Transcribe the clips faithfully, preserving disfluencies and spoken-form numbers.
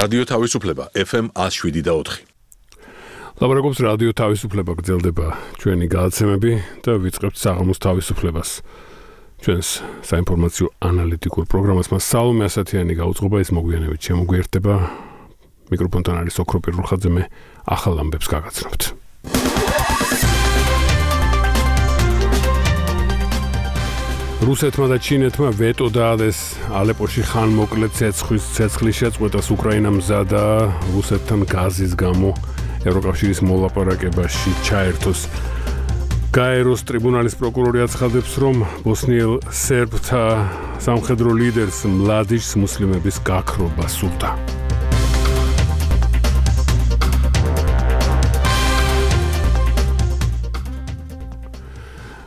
რადიო თავისუფლება ეფ ემ one oh seven და four. ლაპარაკობს რადიო თავისუფლება, გრძელდება ჩვენი გადაცემები და ვიწყებთ საღამოს თავისუფლებას. ჩვენს საინფორმაციო ანალიტიკურ პროგრამას მას სალომე ასათიანი გაუძღობა, ის მოგვიანებით შემოგვიერთდება. მიკროფონთან არის ოქრო პირურხაძე, მე ახალ ამბებს გაგაცნობთ. რუსეთმა და ჩინეთმა ვეტო დაადეს ალეპოში ხანმოკლე ცეცხლის ცეცხლის შეწყვეტას. უკრაინა მზადა რუსეთთან გაზის გამო ევროკავშირის მოლაპარაკებაში ჩაერთოს. გაეროს ტრიბუნალის პროკურორი აცხადებს, რომ ბოსნიელ სერბთა სამხედრო ლიდერს მლადიშს მუსლიმების გაქრობა სურდა.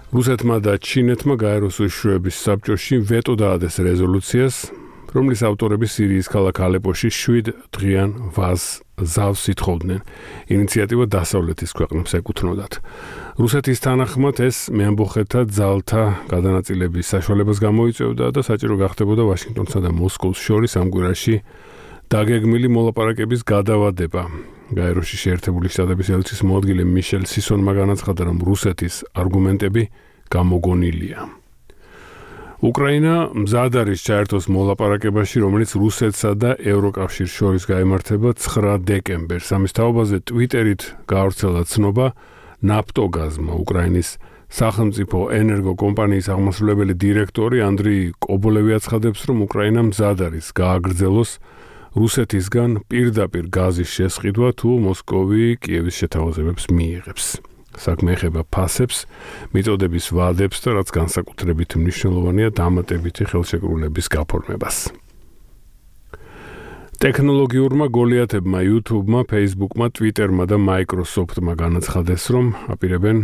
რუსეთმა და ჩინეთმა გაეროს უშუალების საბჭოში ვეტო დაადეს რეზოლუციას, რომლის ავტორები სირიის ქალაქ ალეპოში შვიდ დღიან ვაზ ზავს ითხოვდნენ. ინიციატივა დასავლეთის ქვეყნებს ეკუთვნოდათ. რუსეთის თანახმად ეს მეამბოხეთა ძალთა გადანაწილების საშუალებას გამოიწვევდა და საჭირო გახდებოდა ვაშინგტონსა და მოსკოვს შორის ამ კვირაში დაგეგმილი მოლაპარაკების გადავადება. გაეროში შეერთებული შტატების ელჩის მოადგილე მიშელ სისონმა განაცხადა, რომ რუსეთის არგუმენტები გამოგონილია. უკრაინა მზად არის ჩაერთოს მოლაპარაკებაში, რომელიც რუსეთსა და ევროკავშირს შორის გაიმართება ცხრა დეკემბერს. ამის თაობაზე ტვიტერით გაავრცელა ცნობა, ნაფტოგაზმა უკრაინის სახელმწიფო ენერგო კომპანიის აღმასრულებელი დირექტორი ანდრეი კობოლევი აცხადებს, რომ უკრაინა მზად არის გააგრძელოს რუსეთისგან პირდაპირ გაზის შესყიდვა, თუ მოსკოვი კიევის შეთავაზებებს მიიღებს. საქმე ეხება ფასებს, მიწოდების ვადებს და რაც განსაკუთრებით მნიშვნელოვანია, დამატებითი ხელშეკრულების გაფორმებას. ტექნოლოგიურმა გოლიათებმა, YouTube-მა, Facebook-მა, Twitter-მა და Microsoft-მა განაცხადეს, რომ აპირებენ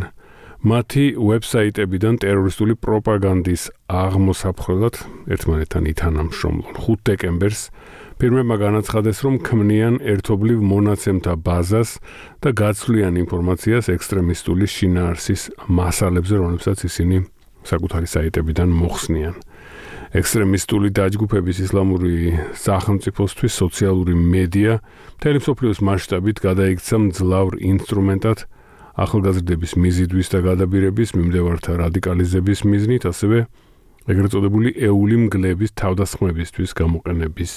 მათი ვებსაიტებიდან ტერორისტული პროპაგანდის აღმოსაფხვრად ერთმანეთთან ითანამშრომლონ. ხუთ დეკემბერს ფირმებმა განაცხადეს, რომ ქმნიან ერთობლივ მონაცემთა ბაზას და გაცვლიან ინფორმაციას ექსტრემისტული შინაარსის მასალებზე, რომლებსაც ისინი საკუთარი საიტებიდან მოხსნიან. ექსტრემისტული დაჯგუფების ისლამური სახელმწიფოსთვის სოციალური მედია მთელი მსოფლიოს მასშტაბით გადაიქცა მძლავრ ინსტრუმენტად ახალგაზრდების მიზიდვის და გადაბირების, მიმდევართა რადიკალიზების მიზნით, ასევე ეგრეთ წოდებული ეული მგლების თავდასხმებისთვის გამოყენების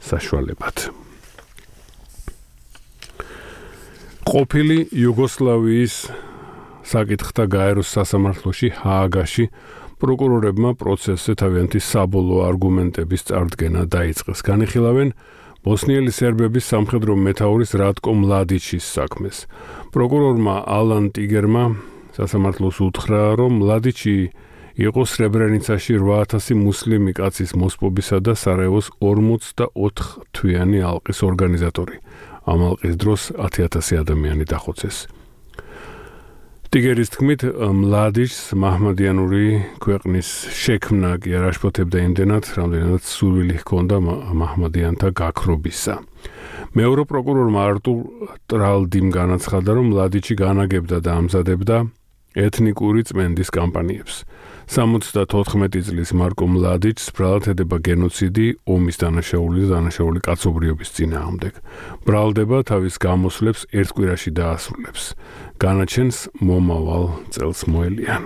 საშუალებად. ყოფილი იუგოსლავიის საკითხთა გაეროს სასამართლოში ჰააგაში პროკურორებმა პროცესზე თავიანთი საბოლოო არგუმენტების წარდგენა დაიწყეს. განიხილავენ ბოსნიელი სერბების სამხედრო მეთაურის რატკო მლადიჩის საქმეს. პროკურორმა ალან ტიგერმა სასამართლოს უთხრა, რომ მლადიჩი იყო სრებრენიცაში რვა ათასი მუსლიმი კაცის მოსპობისა და სარაევოს ორმოცდაოთხ თვიანი ალყის ორგანიზატორი. ამ ალყის დროს ათი ათასი ადამიანი დახოცეს. ტიგერის თქმით, მლადიჩს მაჰმადიანური ქვეყნის შექმნა კი არ აშფოთებდა იმდენად, რამდენადაც სურვილი ჰქონდა მაჰმადიანთა გაქრობისა. მეორე პროკურორმა არტურ ტრალდიმ განაცხადა, რომ მლადიჩი განაგებდა და ამზადებდა ეთნიკური წმენდის კამპანიებს. სამოცდათოთხმეტი წლის მარკო მლადიჩს ბრალად ედება გენოციდი ომის დანაშაული და დანაშაული კაცობრიობის წინააღმდეგ. ბრალდება თავის გამოსვლებს ერთ კვირაში დაასრულებს. განაჩენს მომავალ წელს მოელიან.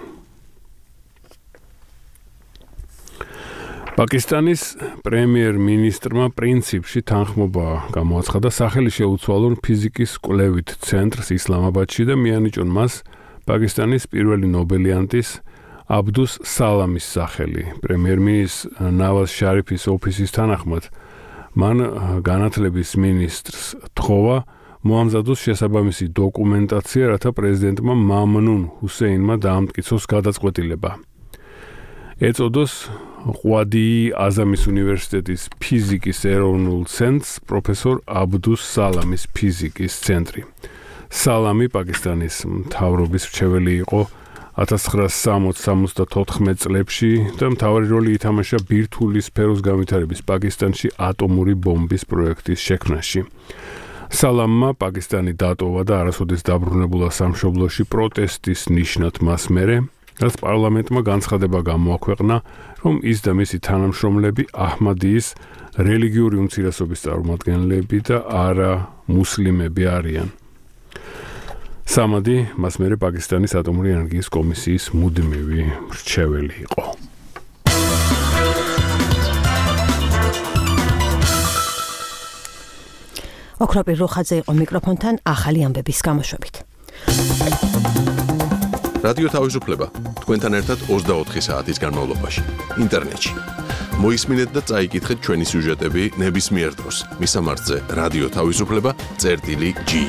პაკისტანის პრემიერ-მინისტრმა პრინციპში თანხმობა გამოაცხადა სახელი შეუცვალონ ფიზიკის კვლევით ცენტრს ისლამაბადში და მიანიჭონ მას პაკისტანის პირველი ნობელიანტის აბდუს სალამის სახელი. პრემიერ-მინისტრ ნავაზ შარიფის ოფისის თანახმად მან განათლების მინისტრს თხოვა მოამზადოს შესაბამისი დოკუმენტაცია, რათა პრეზიდენტმა მამნუნ ჰუსეინმა დაამტკიცოს გადაწყვეტილება. ეწოდოს ყვადი აზამის უნივერსიტეტის ფიზიკის ეროვნულ ცენტრს პროფესორ აბდუს სალამის ფიზიკის ცენტრი. სალამი პაკისტანის მთავრობის მრჩეველი იყო ათას ცხრაასი სამოცდათოთხმეტ წლებში და მთავარი როლი ითამაშა ბირთვული სფეროს განვითარების პაკისტანში ატომური ბომბის პროექტის შექმნაში. სალამმა პაკისტანი დატოვა და არასოდეს დაბრუნებულა სამშობლოში პროტესტის ნიშნად მას მერე, რაც პარლამენტმა განცხადება გამოაქვეყნა, რომ ის და მისი თანამშრომლები აჰმადიის რელიგიური უმცირესობის წარმომადგენლები და არა მუსლიმები არიან. სამადი მას მერე პაკისტანის ატომური ენერგიის კომისიის მუდმივი მრჩეველი იყო. ოქროპირ რუხაძე იყო მიკროფონთან ახალი ამბების გამოშვებით. რადიო თავისუფლება თქვენთან ერთად ოცდაოთხი საათის განმავლობაში ინტერნეტში. მოისმინეთ და წაიკითხეთ ჩვენი სიუჟეტები ნებისმიერ დროს. მისამართზე რადიო თავისუფლება წერტილი ჯი.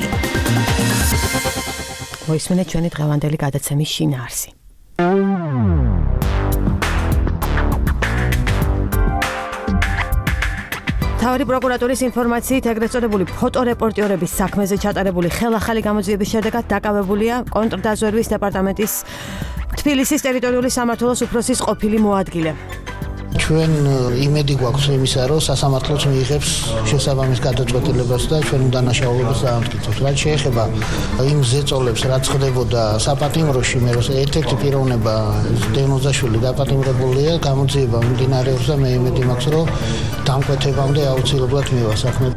მოისმინეთ ჩვენი დღევანდელი გადაცემის შინაარსი. მთავარი პროკურატურის ინფორმაციით ეგრეთ წოდებული ფოტორეპორტიორების საქმეზე ჩატარებული ხელახალი გამოძიების შედეგად დაკავებულია კონტრდაზვერვის დეპარტამენტის თბილისის ტერიტორიული სამმართველოს უფროსის ყოფილი მოადგილე. ჩვენ იმედი გვაქვს იმისა, რომ სასამართლოც მიიღებს შესაბამის გადაწყვეტილებას და ჩვენ დანაშაულებას დაამტკიცებს. რაც შეეხება იმ ზეწოლებს, რაც ხდებოდა საპატიმროში, მე როცა ერთ-ერთი პიროვნება დემოზაშვილი დაპატიმრებულია, გამოძიება მიმდინარეობს და მე იმედი მაქვს, რომ დამკვეთებამდე აუცილებლად მივა საქმე.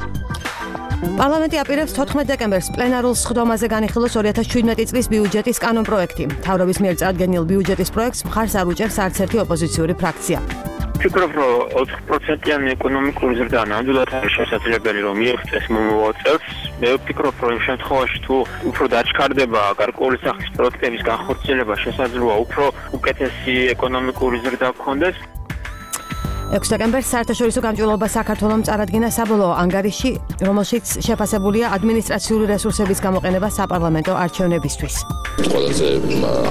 პარლამენტი აპირებს თოთხმეტ დეკემბერს პლენარულ სხდომაზე განიხილოს ორი ათას შვიდმეტი წლის ბიუჯეტის კანონპროექტი. მთავრობის მიერ წარდგენილ ბიუჯეტის პროექტს მხარს არ უჭერს არც ერთი ოპოზიციური ფრაქცია. ვფიქრობ, რომ ოთხ პროცენტიანი ეკონომიკური ზრდა ნამდვილად არის შესაძლებელი, რომ მიიღწეს მომავალ წელს. მე ვფიქრობ, რომ იმ შემთხვევაში თუ უფრო დაჩქარდება გარკვეული სახის პროექტების განხორციელება, შესაძლოა უფრო უკეთესი ეკონომიკური ზრდა გქონდეს. ექვსი დეკემბერს საერთაშორისო გამჭვირვალობა საქართველოს წარადგინა საბოლოო ანგარიში, რომელშიც შეფასებულია ადმინისტრაციული რესურსების გამოყენება საპარლამენტო არჩევნებისთვის. ყველაზე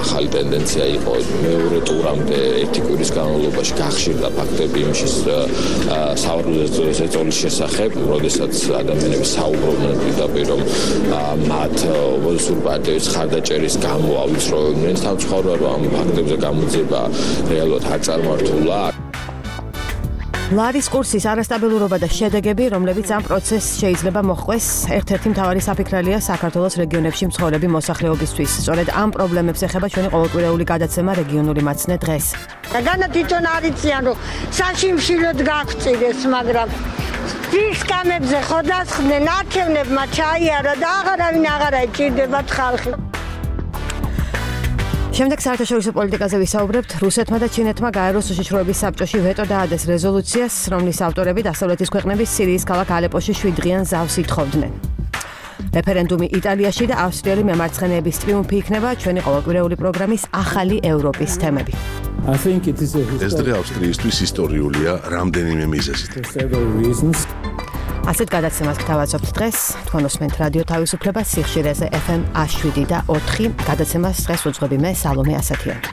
ახალი ტენდენცია იყო მეორე ტურამდე ერთი კვირის განმავლობაში გახშირდა ფაქტები იმის საუბრობდნენ ზეწოლის შესახებ, როდესაც ადამიანები საუბრობდნენ პირდაპირ, რომ მათ ოპოზიციური პარტიების ხარდაჭერის გამო ავიწროვებდნენ. სამწუხაროდ ამ ფაქტებზე გამოძიება რეალურად არ წარმართულა. ლარის კურსის არასტაბილურობა და შედეგები, რომლებიც ამ პროცესს შეიძლება მოჰყვეს, ერთ-ერთი მთავარი საფიქრალია საქართველოს რეგიონებში მცხოვრები მოსახლეობისთვის. სწორედ ამ პრობლემებს ეხება ჩვენი ყოველკვირეული გადაცემა რეგიონული მაცნე დღეს. განა თვითონ არიციან, რომ საშიმშილოდ გაგწირეს, მაგრამ ვის კამებზე ხოდასხდნენ, არჩევნებმა ჩაიარა და აღარავინ აღარ ეჭირდებათ ხალხი. შემდეგ საერთაშორისო პოლიტიკაზე ვისაუბრებთ. რუსეთმა და ჩინეთმა გაეროს უშიშროების საბჭოში ვეტო დაადეს რეზოლუციას, რომლის ავტორები დასავლეთის ქვეყნების სირიის ქალაქ ალეპოში შვიდდღიან ზავს ითხოვდნენ. რეფერენდუმი იტალიაში და ავსტრიელი მემარცხენეების ტრიუმფი იქნება ჩვენი ყოველკვირეული პროგრამის ახალი ევროპის თემები. ეს დღე ავსტრიისთვის ისტორიულია რამდენიმე მიზეზით. ასეთ გადაცემას გთავაზობთ დღეს. თქვენ უსმენთ რადიო თავისუფლება სიხშირეზე ეფ ემ შვიდი და ოთხი. გადაცემას დღეს უძღვები მე სალომე ასათიანი.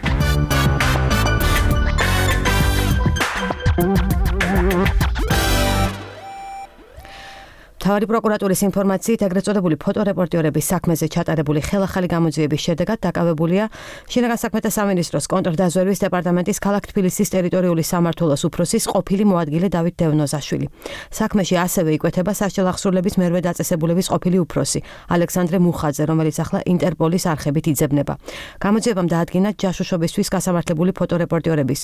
მთავარი პროკურატურის ინფორმაციით ეგრეთ წოდებული ფოტორეპორტიორების საქმეზე ჩატარებული ხელახალი გამოძიების შედეგად დაკავებულია შინაგან საქმეთა სამინისტროს კონტრდაზვერვის დეპარტამენტის ქალაქ თბილისის ტერიტორიული სამმართველოს უფროსის ყოფილი მოადგილე დავით დევნოზაშვილი. საქმეში ასევე იკვეთება სასჯელ აღსრულების მერვე დაწესებულების ყოფილი უფროსი ალექსანდრე მუხაძე, რომელიც ახლა ინტერპოლის არხებით იძებნება. გამოძიებამ დაადგინა ჯაშუშობისთვის გასამართლებული ფოტორეპორტიორების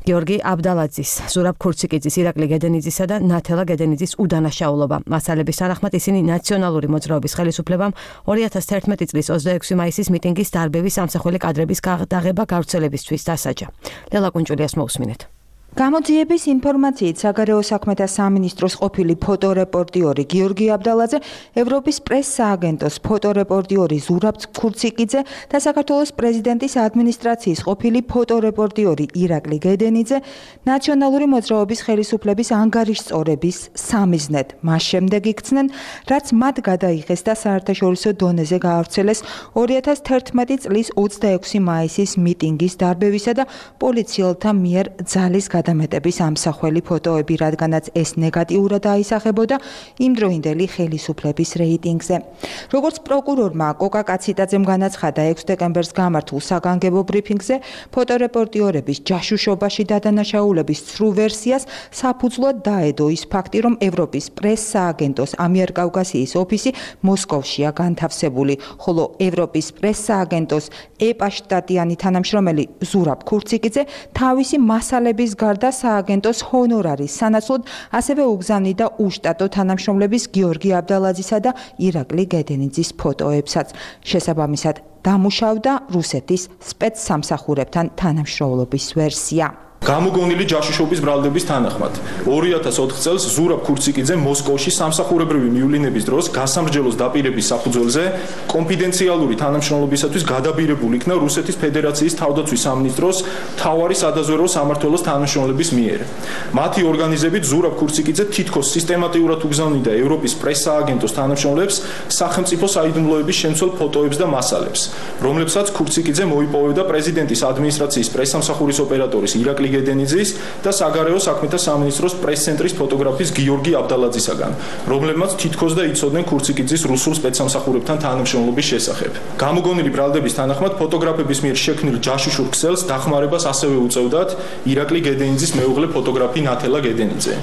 გიორგი აბდალაძის, ზურაბ ქურციკიძის, ირაკლი გედენიძისა და ნათელა გედენიძის უდანაშაულობა. მასალების თანახმად ისინი ნაციონალური მოძრაობის ხელისუფლებამ ორი ათას თერთმეტი წლის ოცდაექვსი მაისის მიტინგის დარბევის სამსახველი კადრების გადაღება გავრცელებისთვის დასაჯა. ლელა კუნჭულიას მოусმინეთ. გამოძიების ინფორმაციით საგარეო საქმეთა სამინისტროს ყოფილი ფოტორეპორტიორი გიორგი აბდალაძე, ევროპის პრეს-სააგენტოს ფოტორეპორტიორი ზურაბ ქურციკიძე და საქართველოს პრეზიდენტის ადმინისტრაციის ყოფილი ფოტორეპორტიორი ირაკლი გედენიძე ნაციონალური მოძრაობის ხელისუფლების ანგარიშწორების სამიზნედ მას შემდეგ იქცნენ, რაც მათ გადაიღეს და საერთაშორისო დონეზე გაავრცელეს ორი ათას თერთმეტი წლის ოცდაექვსი მაისის მიტინგის დარბევისა და პოლიციელთა მიერ ძალის გადამეტების ამსახველი ფოტოები, რადგანაც ეს ნეგატიურად აისახებოდა იმდროინდელი ხელისუფლების რეიტინგზე. როგორც პროკურორმა კოკა კაციტაძემ განაცხადა ექვსი დეკემბერს გამართულ საგანგებო ბრიფინგზე, ფოტორეპორტიორების ჯაშუშობაში დადანაშაულების ცრუ ვერსიას საფუძვლად დაედო ის ფაქტი, რომ ევროპის პრეს-სააგენტოს ამიერკავკასიის ოფისი მოსკოვშია განთავსებული, ხოლო ევროპის პრეს-სააგენტოს ეპა შტატიანი თანამშრომელი ზურაბ ქურციკიძე თავისი მასალების გარდა გაზარდა სააგენტოს ჰონორარის სანაცვლოდ, ასევე უგზავნიდა უშტატო თანამშრომლების გიორგი აბდალაძისა და ირაკლი გედენიძის ფოტოებსაც. შესაბამისად, დამუშავდა რუსეთის სპეცსამსახურებთან თანამშრომლობის ვერსია. გამოგონილი ჯაშუშობის ბრალდების თანახმად ორი ათას ოთხ წელს ზურაბ ქურციკიძე მოსკოვში სამსახურებრივი მივლინების დროს გასამრჯელოს დაპირების საფუძველზე კონფიდენციალური თანამშრომლობისათვის გადაბირებული იქნა რუსეთის ფედერაციის თავდაცვის სამინისტროს მთავარი სადაზვერვო სამმართველოს თანამშრომლების მიერ. მათი ორგანიზებით ზურაბ ქურციკიძე თითქოს სისტემატიურად უგზავნიდა ევროპის პრესსააგენტოს თანამშრომლებს სახელმწიფო საიდუმლოების შემცველ ფოტოებს და მასალებს, რომლებსაც ქურციკიძე მოიპოვებდა პრეზიდენტის ადმინისტრაციის პრესსამსახურის ოპერატორის ირაკლი გედენიძის და საგარეო საქმეთა სამინისტროს პრეს-ცენტრის ფოტოგრაფის გიორგი აბდალაძისაგან, რომლებმაც თითქოს და იცოდნენ ქურციკიძის რუსულ სპეცსამსახურებთან თანამშრომლობის შესახებ. გამოგონილი ბრალდების თანახმად ფოტოგრაფების მიერ შექმნილ ჯაშუშურ ქსელს დახმარებას ასევე უწევდათ ირაკლი გედენიძის მეუღლე ფოტოგრაფი ნათელა გედენიძე.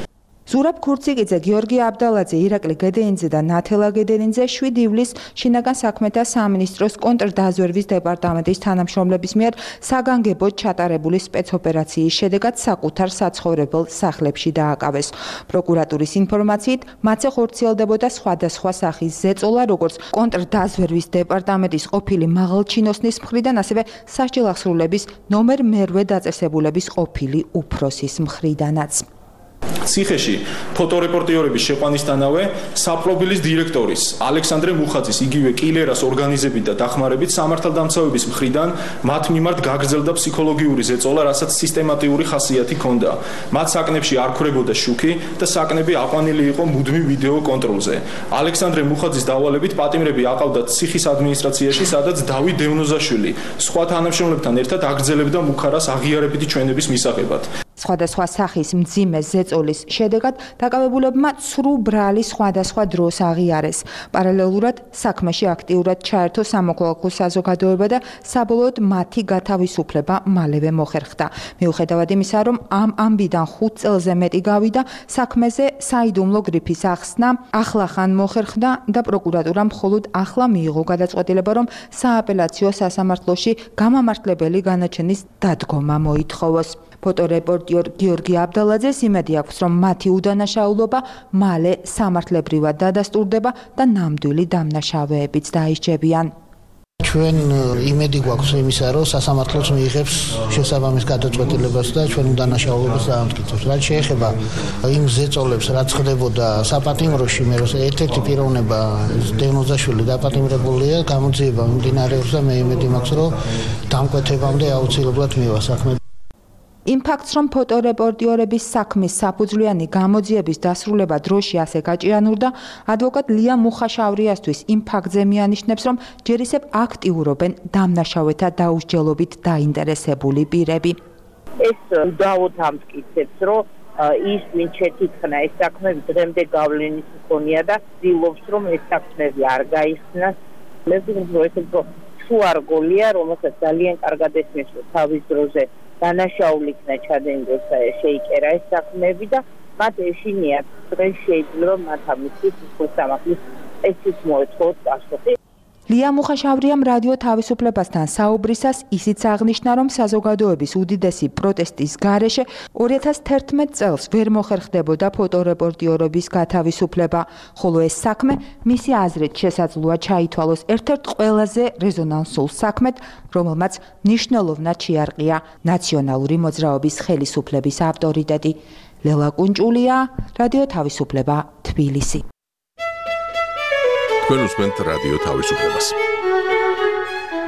ზურაბ ქურციკიძე, გიორგი აბდალაძე, ირაკლი გედენიძე და ნათელა გედენიძე შვიდი ივლისს შინაგან საქმეთა სამინისტროს კონტრდაზვერვის დეპარტამენტის თანამშრომლების მიერ საგანგებოდ ჩატარებული სპეცოპერაციის შედეგად საკუთარ საცხოვრებელ სახლებში დააკავეს. პროკურატურის ინფორმაციით, მათზე ხორციელდებოდა სხვადასხვა სახის ზეწოლა, როგორც კონტრდაზვერვის დეპარტამენტის ყოფილი მაღალჩინოსნის მხრიდან, ასევე სასჯელახსრულების ნომერ მერვე დაწესებულების ყოფილი უფროსის მხრიდანაც. ციხეში ფოტორეპორტიორების შეყვანისთანავე საპრობილის დირექტორის ალექსანდრე მუხაძის იგივე კილერას ორგანიზებით და დახმარებით სამართალდამცავების მხრიდან მათ მიმართ გაგრძელდა ფსიქოლოგიური ზეწოლა, რასაც სისტემატიური ხასიათი ჰქონდა. მათ საკნებში არ ქრებოდა შუქი და საკნები აყვანილი იყო მუდმივ ვიდეო კონტროლზე. ალექსანდრე მუხაძის დავალებით პატიმრები აყავდათ ციხის ადმინისტრაციაში, სადაც დავით დევნოზაშვილი სხვა თანამშრომლებთან ერთად აგრძელებდა მუხარას აღიარებითი ჩვენების მისაღებად. სხვადასხვა სახის მძიმე ზეწოლის შედეგად დაკავებულებმა ცრუ ბრალი სხვადასხვა დროს აღიარეს. პარალელურად საქმეში აქტიურად ჩაერთო სამოქალაქო საზოგადოება და საბოლოოდ მათი გათავისუფლება მალევე მოხერხდა. მიუხედავად იმისა, რომ ამ ამბიდან ხუთ წელზე მეტი გავიდა, საქმეზე საიდუმლო გრიფის ახსნა ახლახან მოხერხდა და პროკურატურამ მხოლოდ ახლა მიიღო გადაწყვეტილება, რომ სააპელაციო სასამართლოში გამამართლებელი განაჩენის დადგომა მოითხოვოს. ფოტორეპორტიორ გიორგი აბდალაძეს იმედი აქვს, რომ მათი უდანაშაულობა მალე სამართლებრივად დადასტურდება და ნამდვილი დამნაშავეებიც დაისჯებიან. ჩვენ იმედი გვაქვს იმისა, რომ სასამართლოც მიიღებს შესაბამის გადაწყვეტილებას და ჩვენ უდანაშაულობას დაამტკიცებს. რაც შეეხება იმ ზეწოლებს, რაც ხდებოდა საპატიმროში, მე რომ ერთ-ერთი პიროვნება დევნოზაშვილი დაპატიმრებულია, გამოძიება მიმდინარეობს და მე იმედი მაქვს, რომ დამკვეთებამდე აუცილებლად მივა საქმე. იმ ფაქტს, რომ ფოტორეპორტიორების საქმის საფუძვლიანი გამოძიების დასრულება დროში ასე გაჭიანურდა, ადვოკატ ლია მუხაშავრიასთვის იმ ფაქტზე მიანიშნებს, რომ ჯერ ისევ აქტიურობენ დამნაშავეთა დაუსჯელობით დაინტერესებული პირები. ეს უდავოდ ამტკიცებს, რომ ის ვინ შეთითქნა ეს საქმე დღემდე გავლენის მქონია და ცდილობს, რომ ეს საქმეები არ გაიხსნას. მე ვფიქრობ, რომ ეს თუ არ გოლია, რომელსაც ძალიან კარგად ესმის, რომ თავის დროზე დანაშაული იქნა ჩადენდეს შეიკერა ეს საქმეები და მათ ეშინიათ დღეს შეიძლება მათ ამისთვის სამართლის ესეც მოეწყოთ პასუხი. ლია მუხაშავრიამ რადიო თავისუფლებასთან საუბრისას ისიც აღნიშნა, რომ საზოგადოების უდიდესი პროტესტის გარეშე ორი ათას თერთმეტ წელს ვერ მოხერხდებოდა ფოტორეპორტიორობის გათავისუფლება, ხოლო ეს საქმე მისი აზრით შესაძლოა ჩაითვალოს ერთ-ერთ ყველაზე რეზონანსულ საქმედ, რომელმაც მნიშვნელოვნად შეარყია ნაციონალური მოძრაობის ხელისუფლების ავტორიტეტი. ლელა კუნჭულია, რადიო თავისუფლება, თბილისი. თქვენ უსმენთ რადიო თავისუფლებას.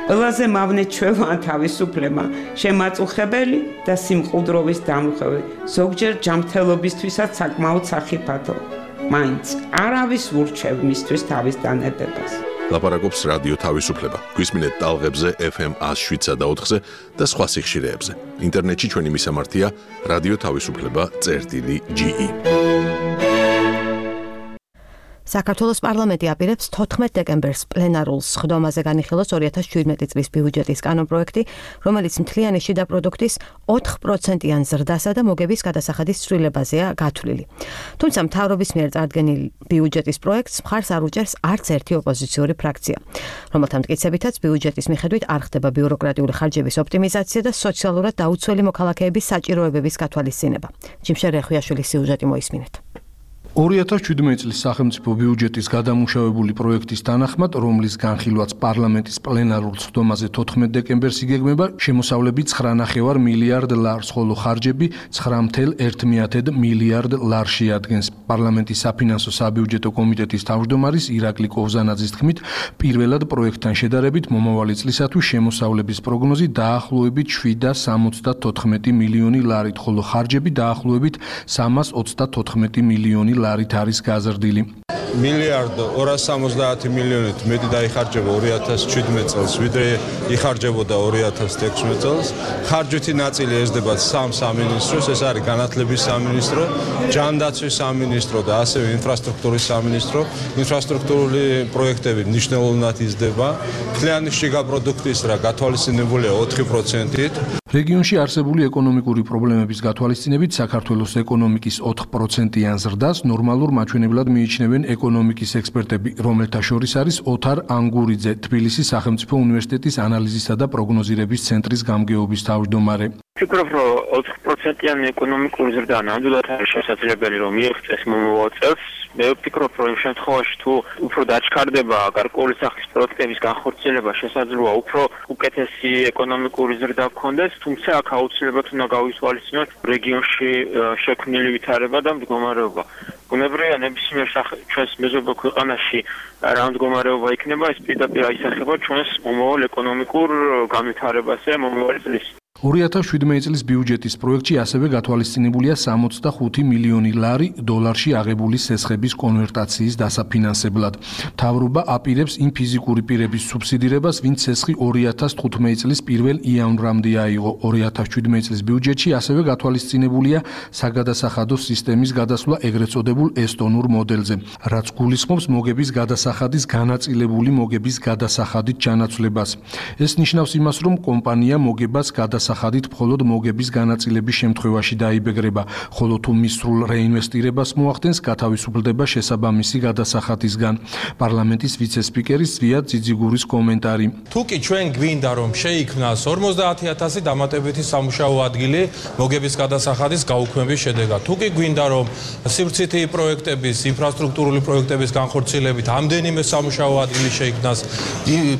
ყველაზე მავნე ჩვევა თავისუფლება, შემაწუხებელი და სიმყუდროვის დამუხევი, ზოგჯერ ჯანმრთელობისთვისაც საკმაოდ სახიფათო. მაინც არავის ურჩევ მისთვის თავის დანებებას. ლაპარაკობს რადიო თავისუფლება. გვისმინეთ ტალღებზე ეფ ემ ას შვიდსა და ოთხზე და სხვა სიხშირეებზე. ინტერნეტში ჩვენი მისამართია რადიო თავისუფლება წერტილი ჯი ი. საქართველოს პარლამენტი აპირებს თოთხმეტ დეკემბერს პლენარულ სხდომაზე განიხილოს ორი ათას შვიდმეტი წლის ბიუჯეტის კანონპროექტი, რომელიც მთლიანი შიდა პროდუქტის ოთხ პროცენტიან ზრდასა და მოგების გადასახადის ცვლილებაზეა გათვლილი. თუმცა მთავრობის მიერ წარდგენილ ბიუჯეტის პროექტს მხარს არ უჭერს არც ერთი ოპოზიციური ფრაქცია, რომელთა მტკიცებითაც ბიუჯეტის მიხედვით არ ხდება ბიუროკრატიული ხარჯების ოპტიმიზაცია და სოციალურად დაუცველი მოქალაქეების საჭიროებების გათვალისწინება. ჯიმშე რეხვიაშვილის სიუჟეტი მოისმინეთ. ორი ათას შვიდმეტი წლის სახელმწიფო ბიუჯეტის გადამუშავებული პროექტის თანახმად, რომლის განხილვაც პარლამენტის პლენარულ სხდომაზე თოთხმეტ დეკემბერს იგეგმება, შემოსავლები ცხრა ნახევარ მილიარდ ლარს, ხოლო ხარჯები ცხრა ათეული ერთ მილიარდ ლარში ადგენს. პარლამენტის საფინანსო საბიუჯეტო კომიტეტის თავმჯდომარის ირაკლი კოვზანაძის თქმით, პირველად პროექტთან შედარებით მომავალი წლისათვის შემოსავლების პროგნოზი დაახლოებით შვიდ ათას სამოცდათოთხმეტი მილიონი ლარით, ხოლო ხარჯები დაახლოებით სამას ოცდათოთხმეტი მილიონი ლარით არის გაზრდილი. მილიარდ ორას სამოცდაათი მილიონით მეტი დაიხარჯება ორი ათას შვიდმეტ წელს, ვიდრე იხარჯებოდა ორი ათას ექვსმეტ წელს. ხარჯვითი ნაწილი ეზრდება სამ სამინისტროს, ეს არის განათლების სამინისტრო, ჯანდაცვის სამინისტრო და ასევე ინფრასტრუქტურის სამინისტრო. ინფრასტრუქტურული პროექტები მნიშვნელოვნად იზრდება. მთლიანი შიგა პროდუქტის რა გათვალისწინებულია ოთხი პროცენტით. რეგიონში არსებული ეკონომიკური პრობლემების გათვალისწინებით საქართველოს ეკონომიკის ოთხ პროცენტიან ზრდას ნორმალურ მაჩვენებლად მიიჩნევენ ეკონომიკის ექსპერტები, რომელთა შორის არის ოთარ ანგურიძე, თბილისის სახელმწიფო უნივერსიტეტის ანალიზისა და პროგნოზირების ცენტრის გამგეობის თავმჯდომარე. ვფიქრობ, რომ ოთხ პროცენტიანი ეკონომიკური ზრდა ნამდვილად არის შესაძლებელი, რომ მიიღწეს მომავალ წელს. მე ვფიქრობ, რომ იმ შემთხვევაში თუ უფრო დაჩქარდება გარკვეული სახის პროდუქტების განხორციელება, შესაძლოა უფრო უკეთესი ეკონომიკური ზრდა გქონდეს, თუმცა აქ აუცილებლად უნდა გავისვალისწინოთ რეგიონში შექმნილი ვითარება და მდგომარეობა. ბუნებრივია, ნებისმიერ ჩვენს მეზობელ ქვეყანაში რა მდგომარეობა იქნება, ეს პირდაპირ აისახება ჩვენს მომავალ ეკონომიკურ განვითარებაზე მომავალი წლის. ორი ათას შვიდმეტი წლის ბიუჯეტის პროექტში ასევე გათვალისწინებულია სამოცდახუთი მილიონი ლარი დოლარში აღებული სესხების კონვერტაციის დასაფინანსებლად. მთავრობა აპირებს იმ ფიზიკური პირების სუბსიდირებას, ვინც სესხი ორი ათას თხუთმეტი წლის პირველ იანვრამდე აიღო. ორი ათას შვიდმეტი წლის ბიუჯეტში ასევე გათვალისწინებულია საგადასახადო სისტემის გადასვლა ეგრეთ წოდებულ ესტონურ მოდელზე, რაც გულისხმობს მოგების გადასახადის განაწილებული მოგების გადასახადით ჩანაცვლებას. ეს ნიშნავს იმას, რომ კომპანია მოგებას გადასახადით სახადით მხოლოდ მოგების განაწილების შემთხვევაში დაიბეგრება, ხოლო თუ მის სრულ რეინვესტირებას მოახდენს, გათავისუფლდება შესაბამისი გადასახადისგან. პარლამენტის ვიცე-სპიკერის ზვიად ძიძიგურის კომენტარი. თუ კი ჩვენ გვინდა რომ შეიქმნას ორმოცდაათი ათასი დამატებითი სამუშაო ადგილი მოგების გადასახადის გაუქმების შედეგად, თუ კი გვინდა რომ სივრცითი პროექტების, ინფრასტრუქტურული პროექტების განხორციელებით ამდენიმე სამუშაო ადგილი შეიქმნას,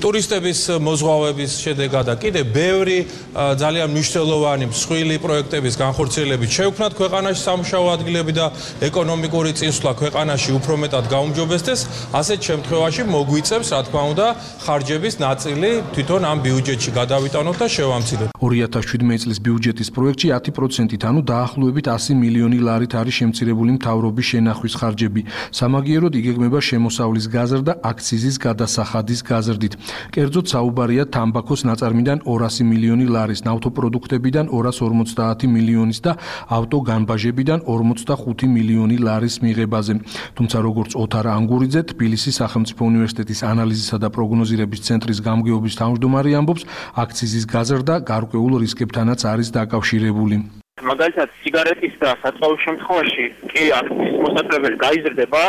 ტურისტების მოზღვავების შედეგად და კიდე ბევრი ძალიან მნიშვნელოვანი მსხვილი პროექტების განხორციელებით შევქმნათ ქვეყანაში სამუშაო ადგილები და ეკონომიკური წინსვლა ქვეყანაში უფრო მეტად გაუმჯობესდეს, ასეთ შემთხვევაში მოგვიწევს, რა თქმა უნდა, ხარჯების ნაწილი თვითონ ამ ბიუჯეტში გადავიტანოთ და შევამციროთ. ორი ათას შვიდმეტი წლის ბიუჯეტის პროექტში ათი პროცენტით, ანუ დაახლოებით ასი მილიონი ლარით არის შემცირებული მთავრობის შენახვის ხარჯები. სამაგიეროდ იგეგმება შემოსავლის გაზრდა აქციზის გადასახადის გაზრდით. კერძოდ საუბარია თამბაქოს ნაწარმიდან ორასი მილიონი ლარის, ავტოპროდუქტებიდან ორას ორმოცდაათი მილიონის და ავტოგანბაჟებიდან ორმოცდახუთი მილიონი ლარის მიღებაზე. თუმცა როგორც ოთარ ანგურიძე, თბილისის სახელმწიფო უნივერსიტეტის ანალიზისა და პროგნოზირების ცენტრის გამგეობის თავმჯდომარე ამბობს, აქციზის გაზრდა გარკვეულ რისკებთანაც არის დაკავშირებული. მაგალითად, სიგარეტის და საწვავის შემთხვევაში კი აქციზის მოსაწყობელი გაიზრდება,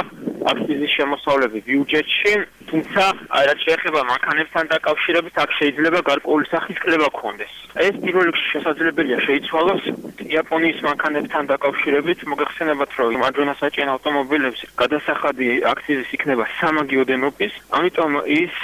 აქციზის შემოსავლები ბიუჯეტში, თუმცა რაც შეეხება მანქანებთან დაკავშირებით, აქ შეიძლება გარკვეული სახის კლება გქონდეს. ეს პირველ რიგში შესაძლებელია შეიცვალოს იაპონიის მანქანებთან დაკავშირებით, მოგეხსენებათ, რომ ადრენასაჭენ ავტომობილებს გადასახადი აქციზის იქნება სამაგი ოდენობის, ამიტომ ის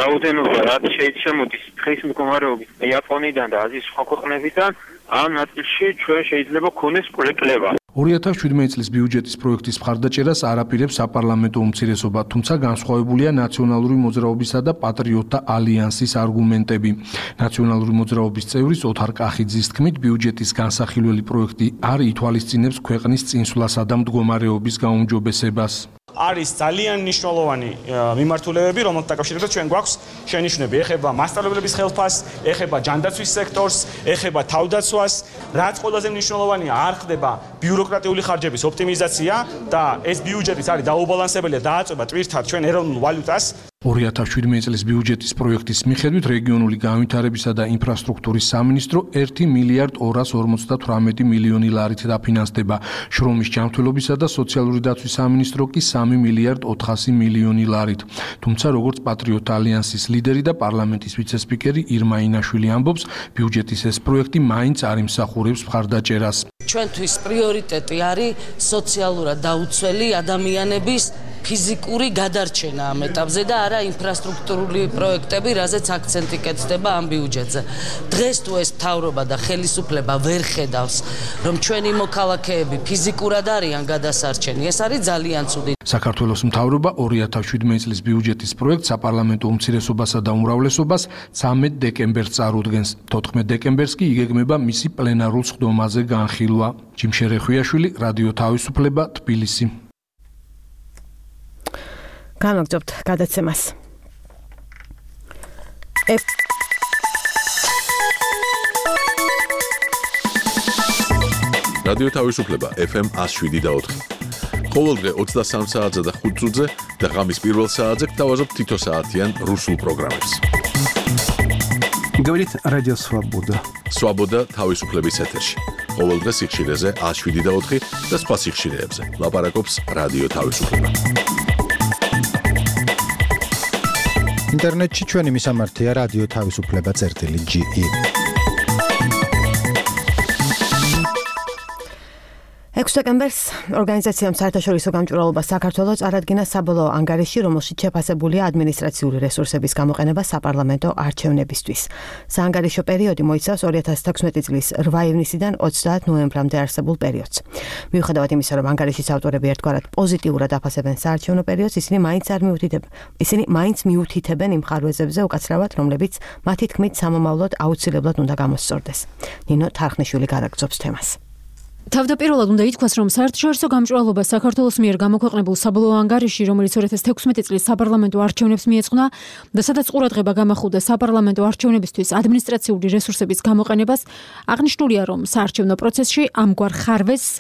რაოდენობა, რაც შეიცემოდის დღის მდგომარეობით იაპონიიდან და აზიის სხვა ქვეყნებიდან, ამ ნაწილში ჩვენ შეიძლება გქონდეს კლება. ორი ათას შვიდმეტი წლის ბიუჯეტის პროექტის მხარდაჭერას არ აპირებს საპარლამენტო უმცირესობა, თუმცა განსხვავებულია ნაციონალური მოძრაობისა და პატრიოტთა ალიანსის არგუმენტები. ნაციონალური მოძრაობის წევრის ოთარ კახიძის თქმით, ბიუჯეტის განსახილველი პროექტი არ ითვალისწინებს ქვეყნის წინსვლასა და მდგომარეობის გაუმჯობესებას. არის ძალიან მნიშვნელოვანი მიმართულებები, რომელთა დაკავშირებით ჩვენ გვაქვს შენიშვნები. ეხება მასწავლებლების ხელფასს, ეხება ჯანდაცვის სექტორს, ეხება თავდაცვას, რაც ყველაზე მნიშვნელოვანია, არ ხდება ბიუროკრატიული ხარჯების ოპტიმიზაცია და ეს ბიუჯეტიც არის დაუბალანსებელი და დააწება ტვირთად ჩვენ ეროვნულ ვალუტას. ორი ათას შვიდმეტი წლის ბიუჯეტის პროექტის მიხედვით რეგიონული განვითარებისა და ინფრასტრუქტურის სამინისტრო ერთი მილიარდ ორას ორმოცდათვრამეტი მილიონი ლარით დაფინანსდება. შრომის ჯანმრთელობისა და სოციალური დაცვის სამინისტრო კი სამი მილიარდ ოთხასი მილიონი ლარით. თუმცა როგორც პატრიოტ ალიანსის ლიდერი და პარლამენტის ვიცე-სპიკერი ირმა ინაშვილი ამბობს, ბიუჯეტის ეს პროექტი მაინც არ იმსახურებს მხარდაჭერას. ჩვენთვის პრიორიტეტი არის სოციალურად დაუცველი ადამიანების ფიზიკური გადარჩენა ამ ეტაპზე და არა ინფრასტრუქტურული პროექტები, რაზეც აქცენტი კეთდება ამ ბიუჯეტზე. დღეს თუ ეს მთავრობა და ხელისუფლება ვერ ხედავს, რომ ჩვენი მოქალაქეები ფიზიკურად არიან გადასარჩენი, ეს არის ძალიან ცუდი. საქართველოს მთავრობა ორი ათას შვიდმეტი წლის ბიუჯეტის პროექტს საპარლამენტო უმცირესობასა და უმრავლესობას ცამეტ დეკემბერს წარუდგენს. თოთხმეტ დეკემბერს კი იგეგმება მისი პლენარულ სხდომაზე განხილვა. ჯიმშერე ხვიაშვილი, რადიო თავისუფლება, თბილისი. განაგრძობთ გადაცემას. რადიო თავისუფლება ეფ ემ εκατო შვიდი და ოთხი. ყოველდღე ოცდასამ საათზე და ხუთ წუთზე და ღამის პირველ საათზე გთავაზობთ თითო საათიან რუსულ პროგრამებს. Говорит Радио Свобода. Свобода თავისუფლების ეთერში. ყოველდღე სიხშირეზე ათას შვიდი და ოთხი და სხვა სიხშირეებზე. ლაპარაკობს რადიო თავისუფლება. ინტერნეტში ჩვენი მისამართია რადიო თავისუფლება წერტილი ჯი ი. ექვსი დეკემბერს ორგანიზაციამ საერთაშორისო გამჭვირვალობა საქართველოს წარადგინა საბოლოო ანგარიში, რომელშიც შეფასებულია ადმინისტრაციული რესურსების გამოყენება საპარლამენტო არჩევნებისთვის. საანგარიშო პერიოდი მოიცავს ორი ათას თექვსმეტი წლის რვა ივნისიდან ოცდაათ ნოემბრამდე არსებულ პერიოდს. მიუხედავად იმისა, რომ ანგარიშის ავტორები ერთგვარად პოზიტიურად აფასებენ საარჩევნო პერიოდს, ისინი მაინც არ მიუთითებენ. ისინი მაინც მიუთითებენ იმ ხარვეზებზე უკაცრავად, რომლებიც მათი თქმით სამომავლოდ აუცილებლად უნდა გამოსწორდეს. ნინო თარხნიშვილი განაგრძობს თემას. თავდაპირველად უნდა ითქვას, რომ საერთაშორისო გამჭვირვალობა საქართველოს მიერ გამოქვეყნებულ საბოლოო ანგარიში, რომელიც ორი ათას თექვსმეტი წლის საპარლამენტო არჩევნებს მიეძღვნა და სადაც ყურადღება გამახვილდა საპარლამენტო არჩევნებისთვის ადმინისტრაციული რესურსების გამოყენებას, აღნიშნულია, რომ საარჩევნო პროცესში ამგვარ ხარვეზს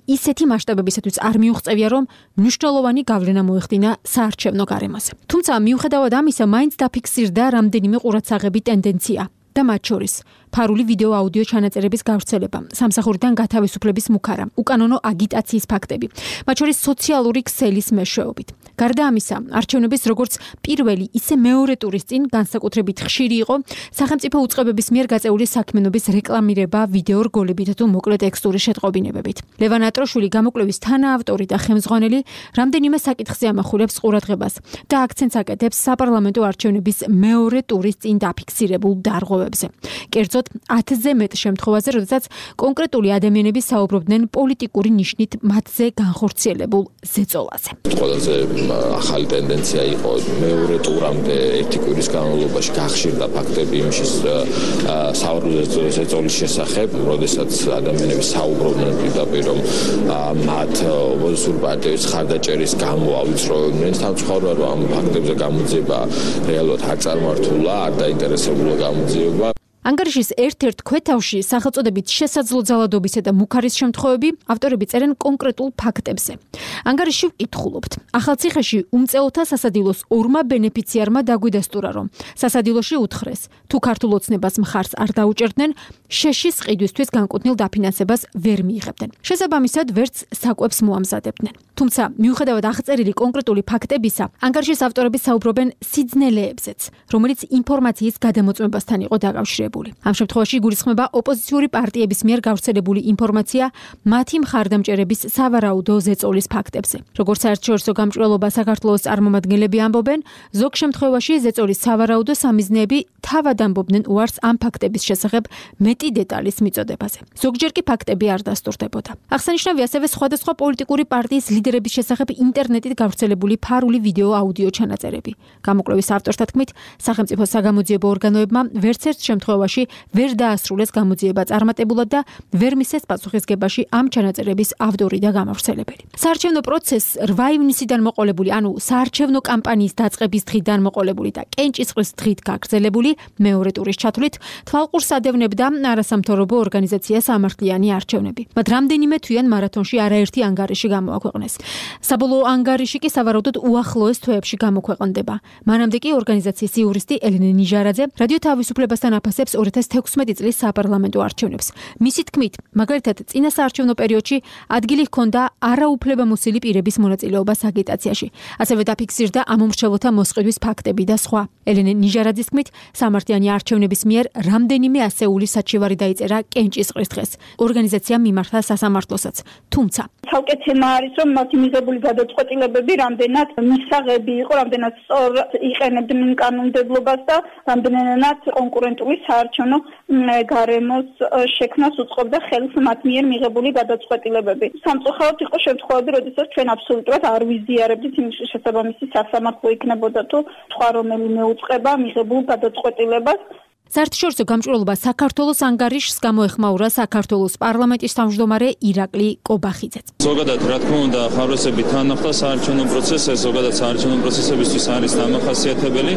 ისეთი მასშტაბებისათვის არ მიუღწევია, რომ მნიშვნელოვანი გავლენა მოეხდინა საარჩევნო გარემოზე. თუმცა მიუხედავად ამისა, მაინც დაფიქსირდა რამდენიმე ყურადსაღები ტენდენცია და მათ შორის ფარული ვიდეო აუდიო ჩანაწერების გავრცელება, სამსახურიდან გათავისუფლების მუქარა, უკანონო აგიტაციის ფაქტები, მათ შორის სოციალური ქსელის მეშვეობით. გარდა ამისა, არჩევნების როგორც პირველი, ისე მეორე ტურის წინ განსაკუთრებით ხშირი იყო სახელმწიფო უწყებების მიერ გაწეული საქმიანობის რეკლამირება ვიდეო რგოლებით თუ მოკლე ტექსტური შეტყობინებებით. ლევან ატროშვილი გამოკვლევის თანაავტორი და ხელმძღვანელი რამდენიმე საკითხზე ამახვილებს ყურადღებას და აქცენტს აკეთებს საპარლამენტო არჩევნების მეორე ტურის წინ დაფიქსირებულ დარღვევებზე. კერძოდ ათზე მეტ შემთხვევაზე, როდესაც კონკრეტული ადამიანები საუბრობდნენ პოლიტიკური ნიშნით მათზე განხორციელებულ ზეწოლაზე. ყველაზე ახალი ტენდენცია იყო მეორე ტურამდე ერთი კვირის განმავლობაში გახშირდა ფაქტები იმის საუბრობდნენ ზეწოლის შესახებ, როდესაც ადამიანები საუბრობდნენ პირდაპირ, რომ მათ ოპოზიციური პარტიების ხარდაჭერის გამო ავიწროვებდნენ. სამწუხაროა, რომ ამ ფაქტებზე გამოძიება რეალურად არ წარმართულა, არ დაინტერესებულა გამოძიება. ანგარიშის ერთ-ერთ ქვეთავში სახელწოდებით შესაძლო ძალადობისა და მუქარის შემთხვევები ავტორები წერენ კონკრეტულ ფაქტებზე. ანგარიში ვკითხულობთ. ახალციხეში უმწეოთა სასადილოს ორმა ბენეფიციარმა დაგვიდასტურა, რომ სასადილოში უთხრეს, თუ ქართულ ოცნებას მხარს არ დაუჭერდნენ, შეშის ყიდვისთვის განკუთვნილ დაფინანსებას ვერ მიიღებდნენ. შესაბამისად, ვერც საკვებს მოამზადებდნენ. თუმცა, მიუხედავად აღწერილი კონკრეტული ფაქტებისა, ანგარიშის ავტორები საუბრობენ სიძნელეებზეც, რომელიც ინფორმაციის გადამოწმებასთან იყო დაკავშირებული. ამ შემთხვევაში გულისხმება ოპოზიციური პარტიების მიერ გავრცელებული ინფორმაცია მათი მხარდამჭერების სავარაუდო ზეწოლის ფაქტებზე. როგორც საერთაშორისო გამჭვირვალობა საქართველოს წარმომადგენლები ამბობენ, ზოგ შემთხვევაში ზეწოლის სავარაუდო სამიზნეები თავად ამბობდნენ უარს ამ ფაქტების შესახებ მეტი დეტალის მიწოდებაზე. ზოგჯერ კი ფაქტები არ დასტურდებოდა. აღსანიშნავია ასევე სხვადასხვა პოლიტიკური პარტიის ლიდერების შესახებ ინტერნეტით გავრცელებული ფარული ვიდეო აუდიო ჩანაწერები. გამოკვლევის ავტორთა თქმით, სახელმწიფო საგამოძიებო ორგანოებმა ვერც ერთ შემთხვევაში შემთხვევაში ვერ დაასრულეს გამოძიება წარმატებულად და ვერ მისცეს პასუხისგებაში ამ ჩანაწერების ავტორი და გამავრცელებელი. საარჩევნო პროცესს რვა ივნისიდან მოყოლებული, ანუ საარჩევნო კამპანიის დაწყების დღიდან მოყოლებული და კენჭისყრის დღით გაგრძელებული მეორე ტურის ჩათვლით თვალყურს ადევნებდა არასამთავრობო ორგანიზაცია სამართლიანი არჩევნები. მათ რამდენიმე თვიან მარათონში არაერთი ანგარიში გამოაქვეყნეს. საბოლოო ანგარიში კი სავარაუდოდ უახლოეს თვეებში გამოქვეყნდება. მანამდე კი ორგანიზაციის იურისტი ელენე ნიჟარაძე რადიო თავისუფლებასთან აფასებს ორი ათას თექვსმეტი წლის საპარლამენტო არჩევნებს. მისი თქმით, მაგალითად, წინა საარჩევნო პერიოდში ადგილი ჰქონდა არაუფლებამოსილი პირების მონაწილეობას აგიტაციაში. ასევე დაფიქსირდა ამომრჩევლთა მოსყიდვის ფაქტები და სხვა. ელენე ნიჟარაძის თქმით, სამართლიანი არჩევნების მიერ რამდენიმე ასეული საჩივარი დაიწერა კენჭისყრის დღეს. ორგანიზაციამ მიმართა სასამართლოსაც. თუმცა ცალკე თემა არის, რომ მათი მიღებული გადაწყვეტილებები რამდენად მისაღები იყო, რამდენად სწორ იყენებდნენ კანონმდებლობას და რამდენად კონკურენტული საარჩევნო გარემოს შექმნას უწყობდა ხელს მათ მიერ მიღებული გადაწყვეტილებები. სამწუხაროდ იყო შემთხვევები, როდესაც ჩვენ აბსოლუტურად არ ვიზიარებდით იმ შესაბამისი სასამართლო იქნებოდა თუ სხვა რომელიმე უწყება მიღებულ გადაწყვეტილებას. საერთაშორისო გამჭვირვალობა საქართველოს ანგარიშს გამოეხმაურა საქართველოს პარლამენტის თავმჯდომარე ირაკლი კობახიძეც. ზოგადად, რა თქმა უნდა, ხარვესები თან ახლდა საარჩევნო პროცესს, ზოგადად საარჩევნო პროცესებისთვის არის დამახასიათებელი.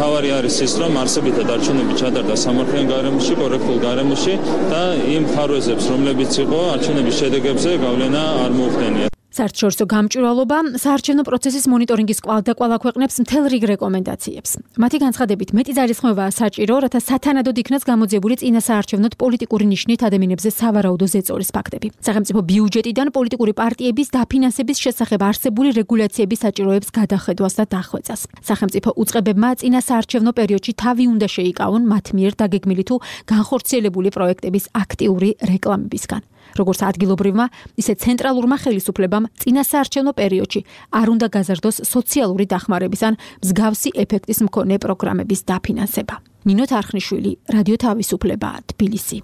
თავარი არის ის, რომ არსებითად არჩევნები ჩატარდა სამართლიან გარემოში, კორექტულ გარემოში და იმ ხარვესებს, რომლებიც იყო არჩევნების შედეგებზე გავლენა არ მოუხდენია. საერთაშორისო გამჭვირვალობა საარჩევნო პროცესის მონიტორინგის კვალდაკვალ აქვეყნებს მთელ რიგ რეკომენდაციებს. მათი განცხადებით, მეტი ძალისხმევაა საჭირო, რათა სათანადოდ იქნას გამოძიებული წინა საარჩევნოდ პოლიტიკური ნიშნით ადამიანებზე სავარაუდო ზეწოლის ფაქტები. სახელმწიფო ბიუჯეტიდან პოლიტიკური პარტიების დაფინანსების შესახებ არსებული რეგულაციების საჭიროებს გადახედვას და დახვეწას. სახელმწიფო უწყებებმა წინა საარჩევნო პერიოდში თავი უნდა შეიკავონ მათ მიერ დაგეგმილი თუ განხორციელებული პროექტების აქტიური რეკლამებისგან. როგორც ადგილობრივმა, ისე ცენტრალურმა ხელისუფლებამ წინა საარჩევნო პერიოდში არ უნდა გაზარდოს სოციალური დახმარების ან მსგავსი ეფექტის მქონე პროგრამების დაფინანსება. ნინო თარხნიშვილი, რადიო თავისუფლება, თბილისი.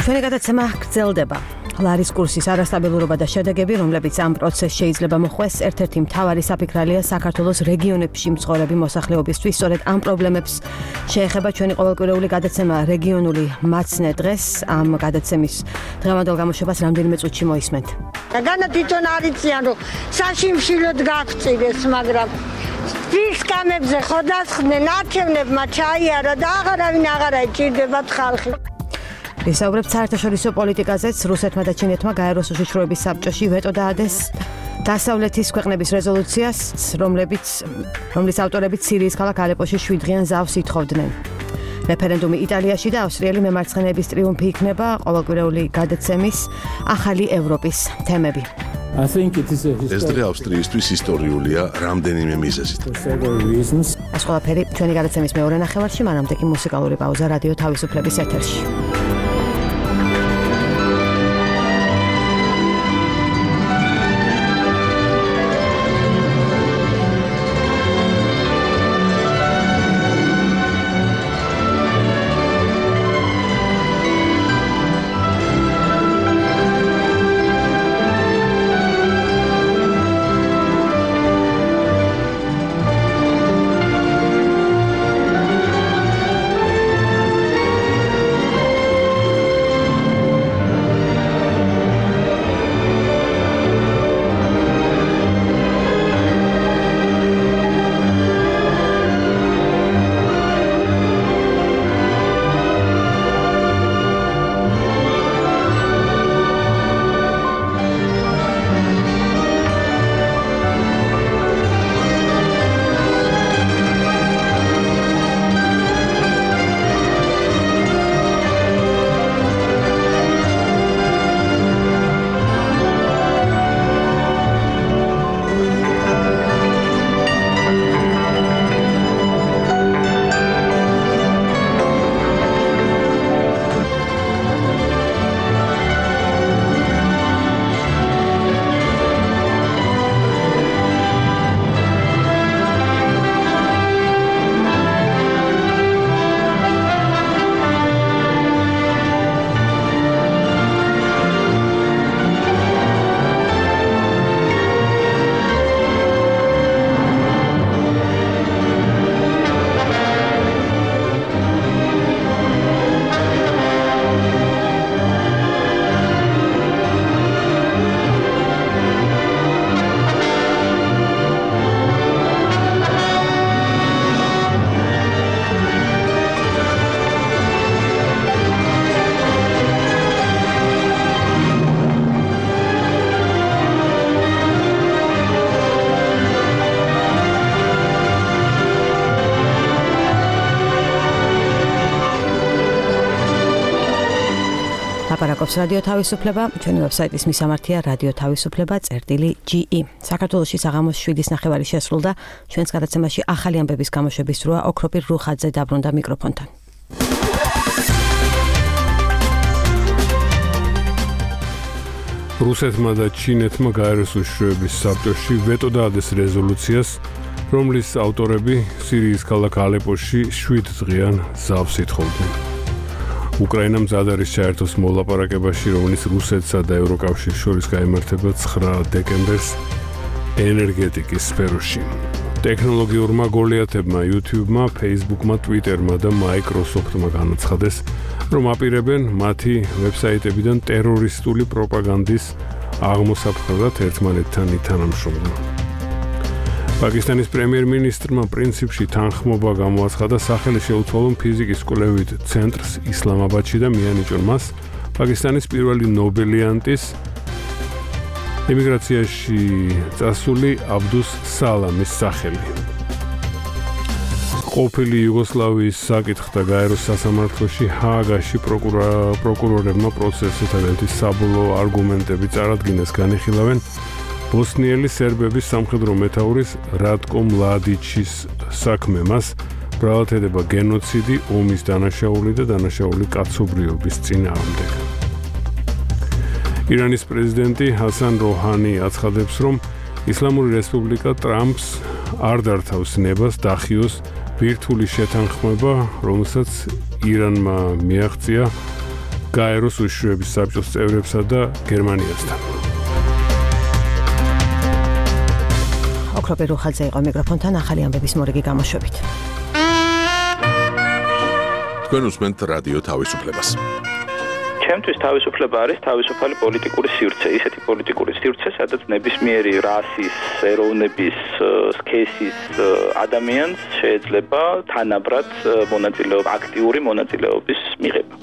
ჩვენი გადაცემა გრძელდება. ლარის კურსის არასტაბილურობა და შედეგები, რომლებიც ამ პროცესს შეიძლება მოხვეს, ერთ-ერთი მთავარი საფიქრალია საქართველოს რეგიონებში მცხოვრები მოსახლეობისთვის. სწორედ ამ პრობლემებს შეეხება ჩვენი ყოველკვირეული გადაცემა რეგიონული მაცნე დღეს. ამ გადაცემის დღევანდელ გამოშვებას რამდენიმე წუთში მოისმენთ. განა თვითონ არიციან, რომ საშიმშილოდ გაგწირეს, მაგრამ ის კამებზე ხოდასხდნენ, არჩევნებმა ჩაიარა და აღარავინ აღარ აიჭირდებათ ხალხი. ვისაუბრებთ საერთაშორისო პოლიტიკაზეც. რუსეთმა და ჩინეთმა გაეროს უშიშროების საბჭოში ვეტო დაადეს დასავლეთის ქვეყნების რეზოლუციას, რომლებიც რომლის ავტორებიც სირიის ქალაქ ალეპოში შვიდდღიან ზავს ითხოვდნენ. რეფერენდუმი იტალიაში და ავსტრიელი მემარცხენეების ტრიუმფი იქნება ყოველკვირეული გადაცემის ახალი ევროპის თემები. ეს დღე ავსტრიისთვის ისტორიულია რამდენიმე მიზეზით. ეს ყველაფერი ჩვენი გადაცემის მეორე ნახევარში, მანამდე კი მუსიკალური პაუზა რადიო თავისუფლების ეთერში. ლაპარაკობს რადიო თავისუფლება, ჩვენი ვებსაიტის მისამართია რადიო თავისუფლება წერტილი ჯი ი. საქართველოში საღამოს შვიდის ნახევარი შესრულდა, ჩვენს გადაცემაში ახალი ამბების გამოშვების დროა. ოქროპირ რუხაძე დაბრუნდა მიკროფონთან. რუსეთმა და ჩინეთმა გაეროს უშუალოების საბჭოში ვეტო დაადეს რეზოლუციას, რომლის ავტორები სირიის ქალაქ ალეპოში შვიდ დღიან ზავს ითხოვდნენ. უკრაინამ მზად არის ჩაერთოს მოლაპარაკებაში, რომლის რუსეთსა და ევროკავშირს შორის გაიმართება ცხრა დეკემბერს ენერგეტიკის სფეროში. ტექნოლოგიურმა გოლიათებმა YouTube-მა, Facebook-მა, Twitter-მა და Microsoft-მა განაცხადეს, რომ აპირებენ მათი ვებსაიტებიდან ტერორისტული პროპაგანდის აღმოსაფხვრად ერთმანეთთან ითანამშრომლონ. პაკისტანის პრემიერ-მინისტრმა პრინციპში თანხმობა გამოაცხადა სახელი შეუცვალონ ფიზიკის კვლევით ცენტრს ისლამაბადში და მიანიჭონ მას პაკისტანის პირველი ნობელიანტის ემიგრაციაში წასული აბდუს სალამის სახელი. ყოფილი იუგოსლავიის საკითხთა გაეროს სასამართლოში ჰააგაში პროკურორებმა პროცესთან ერთად საბოლოო არგუმენტები წარადგინეს, განიხილავენ ბოსნიელი სერბების სამხედრო მეთაურის რატკო მლადიჩის საქმე. მას ბრალად ედება გენოციდი, ომის დანაშაული და დანაშაული კაცობრიობის წინააღმდეგ. ირანის პრეზიდენტი ჰასან როჰანი აცხადებს, რომ ისლამური რესპუბლიკა ტრამპს არ დართავს ნებას დახიოს ბირთვული შეთანხმება, რომელსაც ირანმა მიაღწია გაეროს უშუალოების საბჭოს წევრებსა და გერმანიასთან. ოქროპირ რუხაძე იყო მიკროფონთან ახალი ამბების მორიგი გამოშვებით. თქვენ უსმენთ რადიო თავისუფლებას. ჩემთვის თავისუფლება არის თავისუფალი პოლიტიკური სივრცე, ისეთი პოლიტიკური სივრცე, სადაც ნებისმიერი რასის, ეროვნების, სქესის ადამიანს შეიძლება თანაბრად მონაწილეობა, აქტიური მონაწილეობის მიღება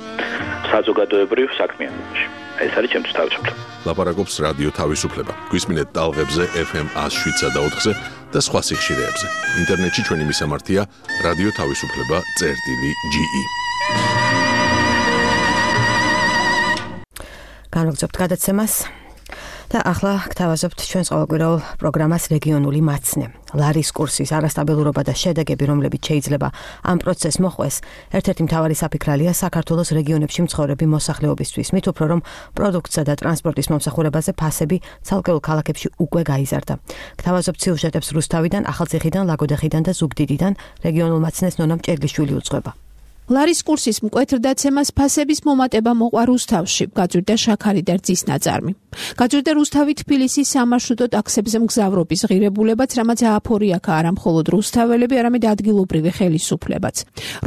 საზოგადოებრივ საქმიანობაში. ეს არის ჩემთვის თავისუფლება. ლაპარაკობს რადიო თავისუფლება. გვისმინეთ ტალღებზე ეფ ემ ას შვიდსა და ოთხზე და სხვა სიხშირეებზე. ინტერნეტში ჩვენი მისამართია რადიო თავისუფლება წერტილი ჯი ი. განვაგრძობთ გადაცემას და ახლა გთავაზობთ ჩვენს ყოველკვირეულ პროგრამას რეგიონული მაცნე. ლარის კურსის არასტაბილურობა და შედეგები, რომლებიც შეიძლება ამ პროცესს მოხვეს, ერთ-ერთი მთავარი საფიქრალია საქართველოს რეგიონებში მცხოვრები მოსახლეობისთვის, მით უფრო რომ პროდუქტსა და ტრანსპორტის მომსახურებაზე ფასები ცალკეულ ქალაქებში უკვე გაიზარდა. გთავაზობთ სიუჟეტებს რუსთავიდან, ახალციხიდან, ლაგოდეხიდან და ზუგდიდიდან. რეგიონულ მაცნეს ნონა მჭედლიშვილი უძღვება. ლარის კურსის მკვეთრდაცემას ფასების მომატება მოყვა რუსთავში, გაძვირდა შაქარი და რძის ნაწარმი. გაძვირდა რუსთავი თბილისის სამარშრუტო ტაქსებზე მგზავრობის ღირებულებაც, რამაც ააფორიაქა არა მხოლოდ რუსთაველები, არამედ ადგილობრივი ხელისუფლებაც.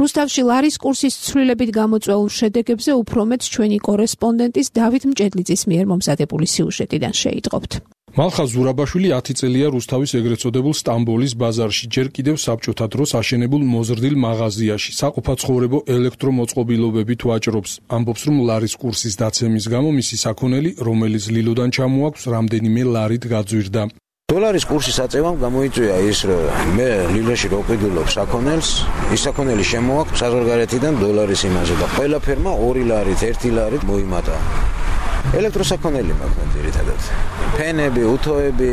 რუსთავში ლარის კურსის ცვლილებით გამოწვეულ შედეგებზე უფრო მეტ ჩვენი კორესპონდენტის დავით მჭედლიძის მიერ მომზადებული სიუჟეტიდან შეიტყობთ. მალხა ზურაბაშვილი ათი წელია რუსთავის ეგრეთ წოდებულ სტამბოლის ბაზარში, ჯერ კიდევ საბჭოთა დროს აშენებულ მოზრდილ მაღაზიაში, საყოფაცხოვრებო ელექტრომოწყობილობებით ვაჭრობს. ამბობს, რომ ლარის კურსის დაცემის გამო მისი საქონელი, რომელიც ლილოდან ჩამოაქვს, რამდენიმე ლარით გაძვირდა. დოლარის კურსის აწევამ გამოიწვია ის, რომ მე ლილაში რო ვყიდულობ საქონელს, ის საქონელი შემოაქვს საზღვარგარეთიდან დოლარის იმაზე და ყველა ფერმა ორი ლარით, ერთი ლარით მოიმატა. ელექტროსაქონელი მაქვს ძირითადად. ფენები, უთოები,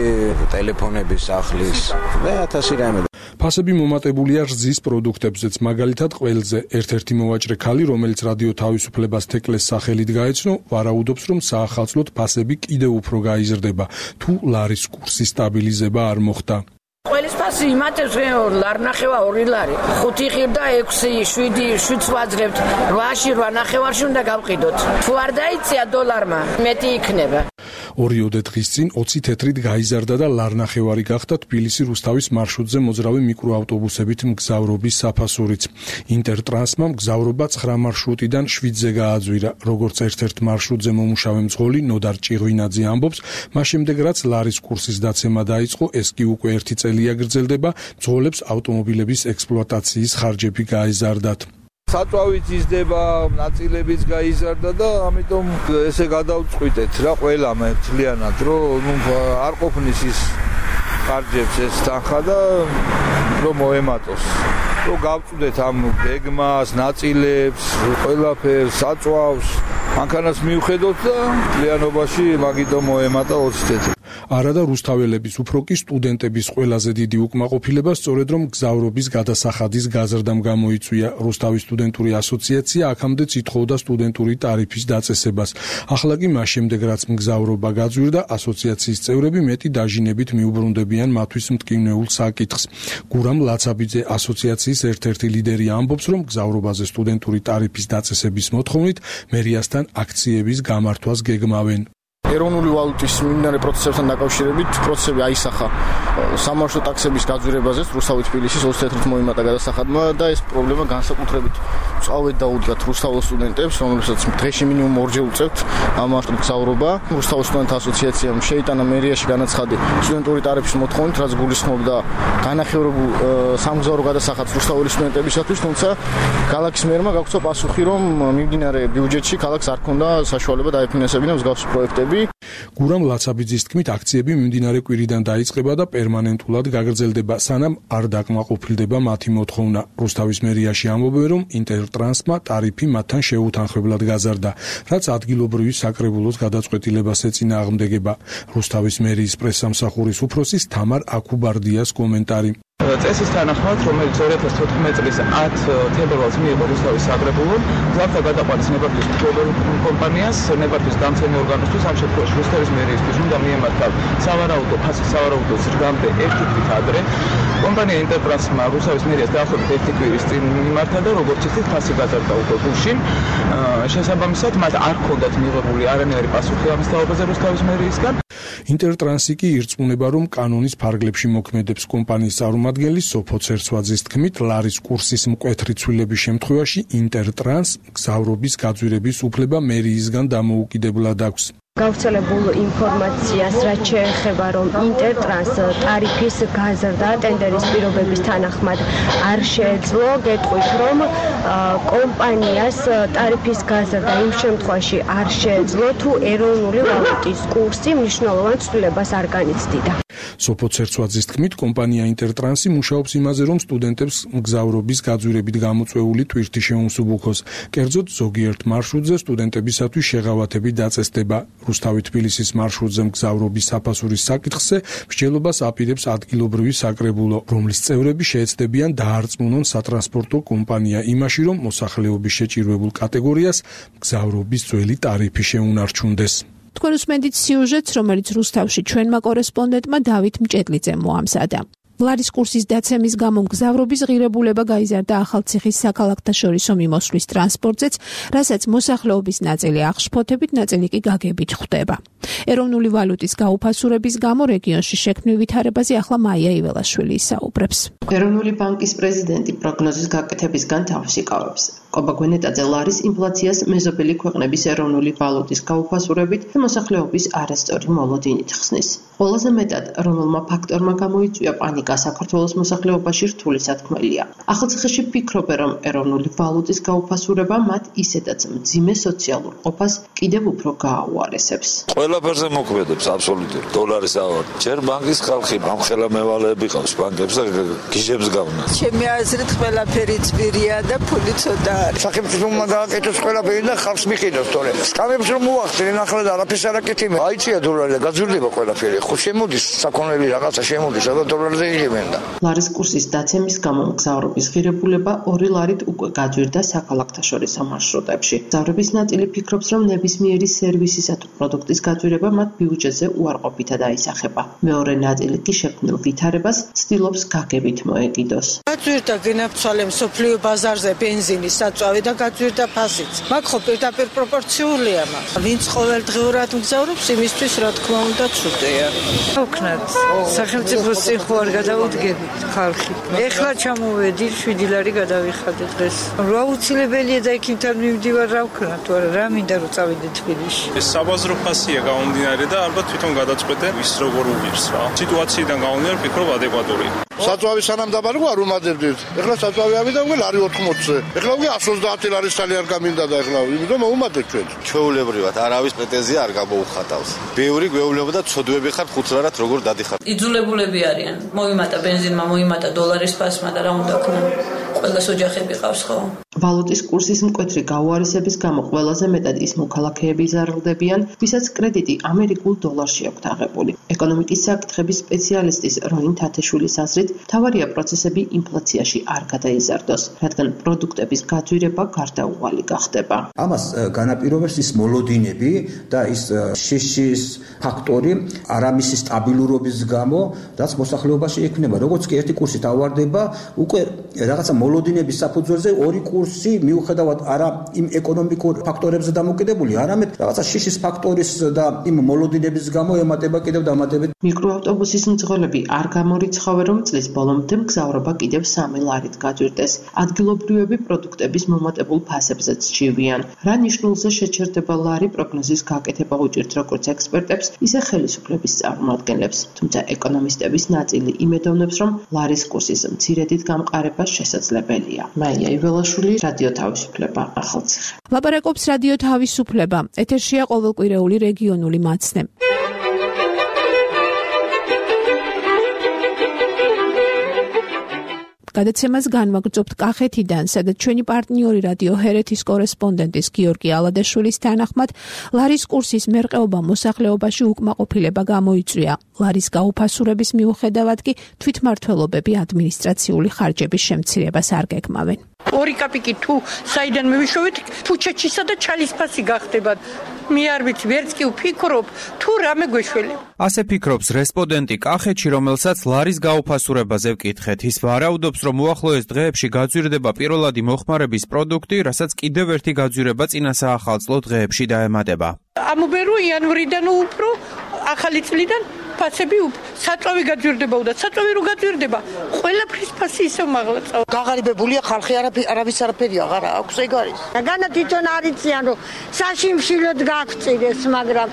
ტელეფონები, სახლის და ათასი რამე. ფასები მომატებულია რძის პროდუქტებზეც, მაგალითად ყველზე. ერთ-ერთი მოვაჭრე ქალი, რომელიც რადიო თავისუფლებას თეკლეს სახელით გაეცნო, ვარაუდობს, რომ საახალწლოდ ფასები კიდევ უფრო გაიზრდება, თუ ლარის კურსის სტაბილიზება არ მოხდა. ყველის ფასი იმატებს ლარნახევა ორი ლარი. ხუთი ხირდა ექვსი, შვიდი, შვიდს ვაძღებთ. რვაში, რვა ნახევარში უნდა გავყიდოთ. თუ არ დაიწია დოლარმა, მეტი იქნება. ორიოდე დღის წინ ოცი თეთრით გაიზარდა და ლარნახევარი გახდა თბილისი რუსთავის მარშრუტზე მოძრავი მიკროავტობუსებით მგზავრობის საფასურიც. ინტერტრანსმა მგზავრობა ცხრა მარშრუტიდან შვიდზე გააძვირა. როგორც ერთ-ერთ მარშრუტზე მომუშავე მძღოლი ნოდარ ჭიღვინაძე ამბობს, მას შემდეგ რაც ლარის კურსის დაცემა დაიწყო, ეს კი უკვე ერთი წელია გრძელდება, მძღოლებს ავტომობილების ექსპლუატაციის ხარჯები გაეზარდათ. საწვავიც იზრდება, ნაწილებიც გაიზარდა და ამიტომ ესე გადავწყვიტეთ რა ყველა მე თლიანად, რომ ნუ არ ყოფნის ის ხარჯებს ეს თანხა და რომ მოემატოს. რომ გავწვდეთ ამ გეგმას, ნაწილებს, ყველაფერს, საწვავს, მანქანას მივხედოთ და ლიანობაში მაგიტო მოემატა ოცი წელი. არადა რუსთაველების უფრო კი სტუდენტების ყველაზე დიდი უკმაყოფილება სწორედ რომ გზავრობის გადასახადის გაზრდამ გამოიწვია. რუსთავის სტუდენტური ასოციაცია აქამდე ითხოვდა სტუდენტური ტარიფის დაწესებას. ახლა კი მას შემდეგ რაც მგზავრობა გაძვირდა, ასოციაციის წევრები მეტი დაჟინებით მიუბრუნდებიან მათთვის მტკივნეულ საკითხს. გურამ ლაცაბიძე ასოციაციის ერთ-ერთი ლიდერი ამბობს, რომ გზავრობაზე სტუდენტური ტარიფის დაწესების მოთხოვნით მერიასთან აქციების გამართვას გეგმავენ. ეროვნული ვალუტის მიმდინარე პროცესებთან დაკავშირებით პროცესები აისახა სამარშრუტო ტაქსების გაძვირებაზე რუსთავის თბილისის ოცი თეთრით მოიმატა გადასახადმა და ეს პრობლემა განსაკუთრებით წავედ დაუდგათ რუსთავის სტუდენტებს, რომლებსაც დღეში მინიმუმ ორჯერ უწევთ ამ მარშრუტ გზავრობა. რუსთავის სტუდენტთა ასოციაციამ შეიტანა მერიაში განაცხადი სტუდენტური ტარიფის მოთხოვნით, რაც გულისხმობდა განახევრებულ სამგზავრო გადასახადს რუსთავის სტუდენტებისათვის, თუმცა ქალაქის მერმა გაგცო პასუხი, რომ მიმდინარე ბიუჯეტში ქალაქს არ ჰქონდა საშუალება დაეფინანსებინა მსგავსი პროექტები. გურამ ლაცაბიძის თქმით, აქციები მიმდინარე კვირიდან დაიწყება და პერმანენტულად გაგრძელდება, სანამ არ დაკმაყოფილდება მათი მოთხოვნა. რუსთავის მერიაში ამბობენ, რომ ინტერტრანსმა ტარიფი მათთან შეუთანხმებლად გაზარდა, რაც ადგილობრივი საკრებულოს გადაწყვეტილებას ეწინააღმდეგება. რუსთავის მერიის პრესსამსახურის უფროსის თამარ აქუბარდიას კომენტარი. წესის თანახმად, რომელიც ორი ათას თოთხმეტი წლის ათ თებერვალს მიიღო რუსთავის საკრებულომ, გზავრთა გადაყვანის ნებართვის მფლობელ კომპანიას, ნებართვის დამცემი ორგანოსთვის, ამ შემთხვევაში რუსთავის მერიისთვის უნდა მიემართა სავარაუდო ფასი სავარაუდო ზრდამდე ერთი თვით ადრე. კომპანია ინტერტრანსმა რუსთავის მერიას დაახლოებით ერთი კვირის წინ მიმართა და როგორც იცით, ფასი გაზარდა უკვე გუშინ. შესაბამისად, მათ არ ჰქონდათ მიღებული არანაირი პასუხი ამის თაობაზე რუსთავის მერიისგან. ინტერტრანსი კი ირწმუნება, რომ კანონის ფარგლებში მოქმედებს კომპანიის წარმომადგენლის სოფო ცერცვაძის თქმით, ლარის კურსის მკვეთრი ცვლილების შემთხვევაში ინტერტრანს გზავრობის გაძვირების უფლება მერიისგან დამოუკიდებლად აქვს. გავრცელებულ ინფორმაციას, რაც შეეხება, რომ ინტერტრანს ტარიფის გაზრდა ტენდერის პირობების თანახმად არ შეეძლო, გეტყვით, რომ კომპანიას ტარიფის გაზრდა იმ შემთხვევაში არ შეეძლო, თუ ეროვნული ვალუტის კურსი მნიშვნელოვან ცვლილებას არ განიცდიდა. სოფო ცერცვაძის თქმით, კომპანია ინტერტრანსი მუშაობს იმაზე, რომ სტუდენტებს მგზავრობის გაძვირებით გამოწვეული ტვირთი შეუმსუბუქოს. კერძოდ, ზოგიერთ მარშრუტზე სტუდენტებისათვის შეღავათები დაწესდება. რუსთავი თბილისის მარშრუტზე მგზავრობის საფასურის საკითხზე მსჯელობას აპირებს ადგილობრივი საკრებულო, რომლის წევრები შეეცდებიან დაარწმუნონ სატრანსპორტო კომპანია იმაში, რომ მოსახლეობის შეჭირვებულ კატეგორიას მგზავრობის ძველი ტარიფი შეუნარჩუნდეს. თქვენ უსმენთ სიუჟეტს, რომელიც რუსთავში ჩვენმა კორესპონდენტმა დავით მჭედლიძემ მოამზადა. ლარის კურსის დაცემის გამო მგზავრობის ღირებულება გაიზარდა ახალციხის საქალაქთაშორისო მიმოსვლის ტრანსპორტზეც, რასაც მოსახლეობის ნაწილი აღშფოთებით, ნაწილი კი გაგებით ხვდება. ეროვნული ვალუტის გაუფასურების გამო რეგიონში შექმნილ ვითარებაზე ახლა მაია იველაშვილი ისაუბრებს. ეროვნული ბანკის პრეზიდენტი პროგნოზის გაკეთებისგან თავს იკავებს. კობა გვენეტაძე ლარის ინფლაციას მეზობელი ქვეყნების ეროვნული ვალუტის გაუფასურებით და მოსახლეობის არასწორი მოლოდინით ხსნის. ყველაზე მეტად რომელმა ფაქტორმა გამოიწვია პანიკა საქართველოს მოსახლეობაში რთული სათქმელია. ახალციხეში ფიქრობენ, რომ ეროვნული ვალუტის გაუფასურება მათ ისედაც მძიმე სოციალურ ყოფას კიდევ უფრო გააუარესებს. ყველაფერზე მოქმედებს აბსოლუტურად დოლარის ავარდი. ჯერ ბანკის ხალხი ამხელა მევალეები ყავს ბანკებს და გიჟებს გავნას. ჩემი აზრით ყველაფერი წვირია და ფული ცოტა არის. სახელმწიფომა დააკეთოს ყველაფერი და ხალხს მიყიდოს, თორე სკამებს რომ მოახდინენ ახლა და არაფერს არ აკეთებენ. აიწია დოლარი და გაძვირდება ყველაფერი. ხო შემოდის საქონელი რაღაცა შემოდის, სადაც დოლარზე იღებენ და. ლარის კურსის დაცემის გამო მგზავრობის ღირებულება ორი ლარით უკვე გაძვირდა საქალაქთაშორისო მარშრუტებში. მგზავრების ნაწილი ფიქრობს, რომ ნებისმიერი სერვისისა თუ პროდუქტის გაძვირება მათ ბიუჯეტზე უარყოფითად აისახება. მეორე ნაწილი კი შექმნილ ვითარებას ცდილობს გაგებით მოეკიდოს. გაძვირდა გენაფცვალე მსოფლიო ბაზარზე ბენზინის საწვავი და გაძვირდა ფასიც. მაგ ხო პირდაპირ პროპორციულია მაგ. ვინც ყოველდღიურად მგზავრობს, იმისთვის რა თქმა უნდა ცუდია. ვქნათ, სახელმწიფოს წინ ხო არ გადავუდგებით ხალხი. ეხლა ჩამოვედი, შვიდი ლარი გადავიხადე დღეს. რა უცილებელია და იქიდან მივდივარ, რა ვქნათ, თორე რა მინდა რომ წავიდე თბილისში. ეს საბაზრო ფასია გამომდინარე და ალბათ თვითონ გადაწყვეტენ ვის როგორ უღირს რა. სიტუაციიდან გამომდინარე ვფიქრობ ადეკვატურია. საწვავი სანამ დაბარგვა არ უმადებდით. ეხლა საწვავი ავიდა უკვე ლარი ოთხმოცზე. ეხლა უკვე εκατს ოცდაათი ლარის თალი არ გამინდა და ეხლა იმიტომ მოუმადეთ ჩვენ. ჩვეულებრივად არავის პრეტენზია არ გამოუხატავს. ბევრი გვეუბნება და ცოდვები ხარ ხუთ ლარად როგორ დადიხარ. იძულებულები არიან. მოიმატა ბენზინმა, მოიმატა დოლარის ფასმა და რა უნდა ქნა. ახალგაზრდა ოჯახები ყავს ხო? ვალუტის კურსის მკვეთრი გაუარესების გამო ყველაზე მეტად ის მოქალაქეები ზარალდებიან, ვისაც კრედიტი ამერიკულ დოლარში აქვთ აღებული. ეკონომიკის საკითხების სპეციალისტის როინ თათეშვილის აზრით, მთავარია პროცესები ინფლაციაში არ გადაიზარდოს, რადგან პროდუქტების გაძვირება გარდაუვალი გახდება. ამას განაპირობებს ის მოლოდინები და ის შიშის ფაქტორი არამისი სტაბილურობის გამო, რაც მოსახლეობაში ექნება. როგორც კი ერთი კურსი დავარდება, უკვე რაღაცა მოლოდინების საფუძველზე ორი კურსი მიუხედავად არა იმ ეკონომიკურ ფაქტორებზე დამოკიდებული, არამედ რაღაცა შიშის ფაქტორის და იმ მოლოდინების გამო ემატება კიდევ დამატებით. მიკროავტობუსის მძღოლები არ გამორიცხავენ, რომ წლის ბოლომდე მგზავრობა კიდევ სამი ლარით გაძვირდეს. ადგილობრივები პროდუქტების მომატებულ ფასებზეც ჯივიან. რა ნიშნულზე შეჩერდება ლარი პროგნოზის გაკეთება უჭირთ როგორც ექსპერტებს, ისე ხელისუფლების წარმომადგენლებს. თუმცა ეკონომისტების ნაწილი იმედოვნებს, რომ ლარის კურსის მცირედით გამყარება შესაძლებელია. მაია იველაშვილი, რადიო თავისუფლება, ახალციხე. ლაპარაკობს რადიო თავისუფლება. ეთერშია ყოველკვირეული რეგიონული მაცნე. გადაცემას განვაგრძობთ კახეთიდან, სადაც ჩვენი პარტნიორი რადიო ჰერეთის კორესპონდენტის გიორგი ალადაშვილის თანახმად, ლარის კურსის მერყეობა მოსახლეობაში უკმაყოფილება გამოიწვია. ლარის გაუფასურების მიუხედავად კი თვითმმართველობები ადმინისტრაციული ხარჯების შემცირებას არ გეგმავენ. ორი კაპიკი თუ საიდან მივიშოვეთ, ფუჩეჩისა და ჩალის ფასი გახდებათ. მე არ ვიცი, ვერც კი ვფიქრობ, თუ რამე გვეშველება. ასე ფიქრობს რესპონდენტი კახეთში, რომელსაც ლარის გაუფასურებაზე ვკითხეთ. ის ვარაუდობს, რომ უახლოეს დღეებში გაძვირდება პირველადი მოხმარების პროდუქტი, რასაც კიდევ ერთი გაძვირება წინა საახალწლო დღეებში დაემატება. ამობერო იანვრიდან უფრო ახალი წლიდან ფასები საწვავი გაძვირდება და საწვავი რო გაძვირდება, ყველაფრის ფასი ისევ მაღლა წავა. გაღარიბებულია ხალხი, არავის არაფერი აღარ აქვს, ეგ არის. განა თვითონ არიციან, რომ საშიმშილოდ გაგწირეს, მაგრამ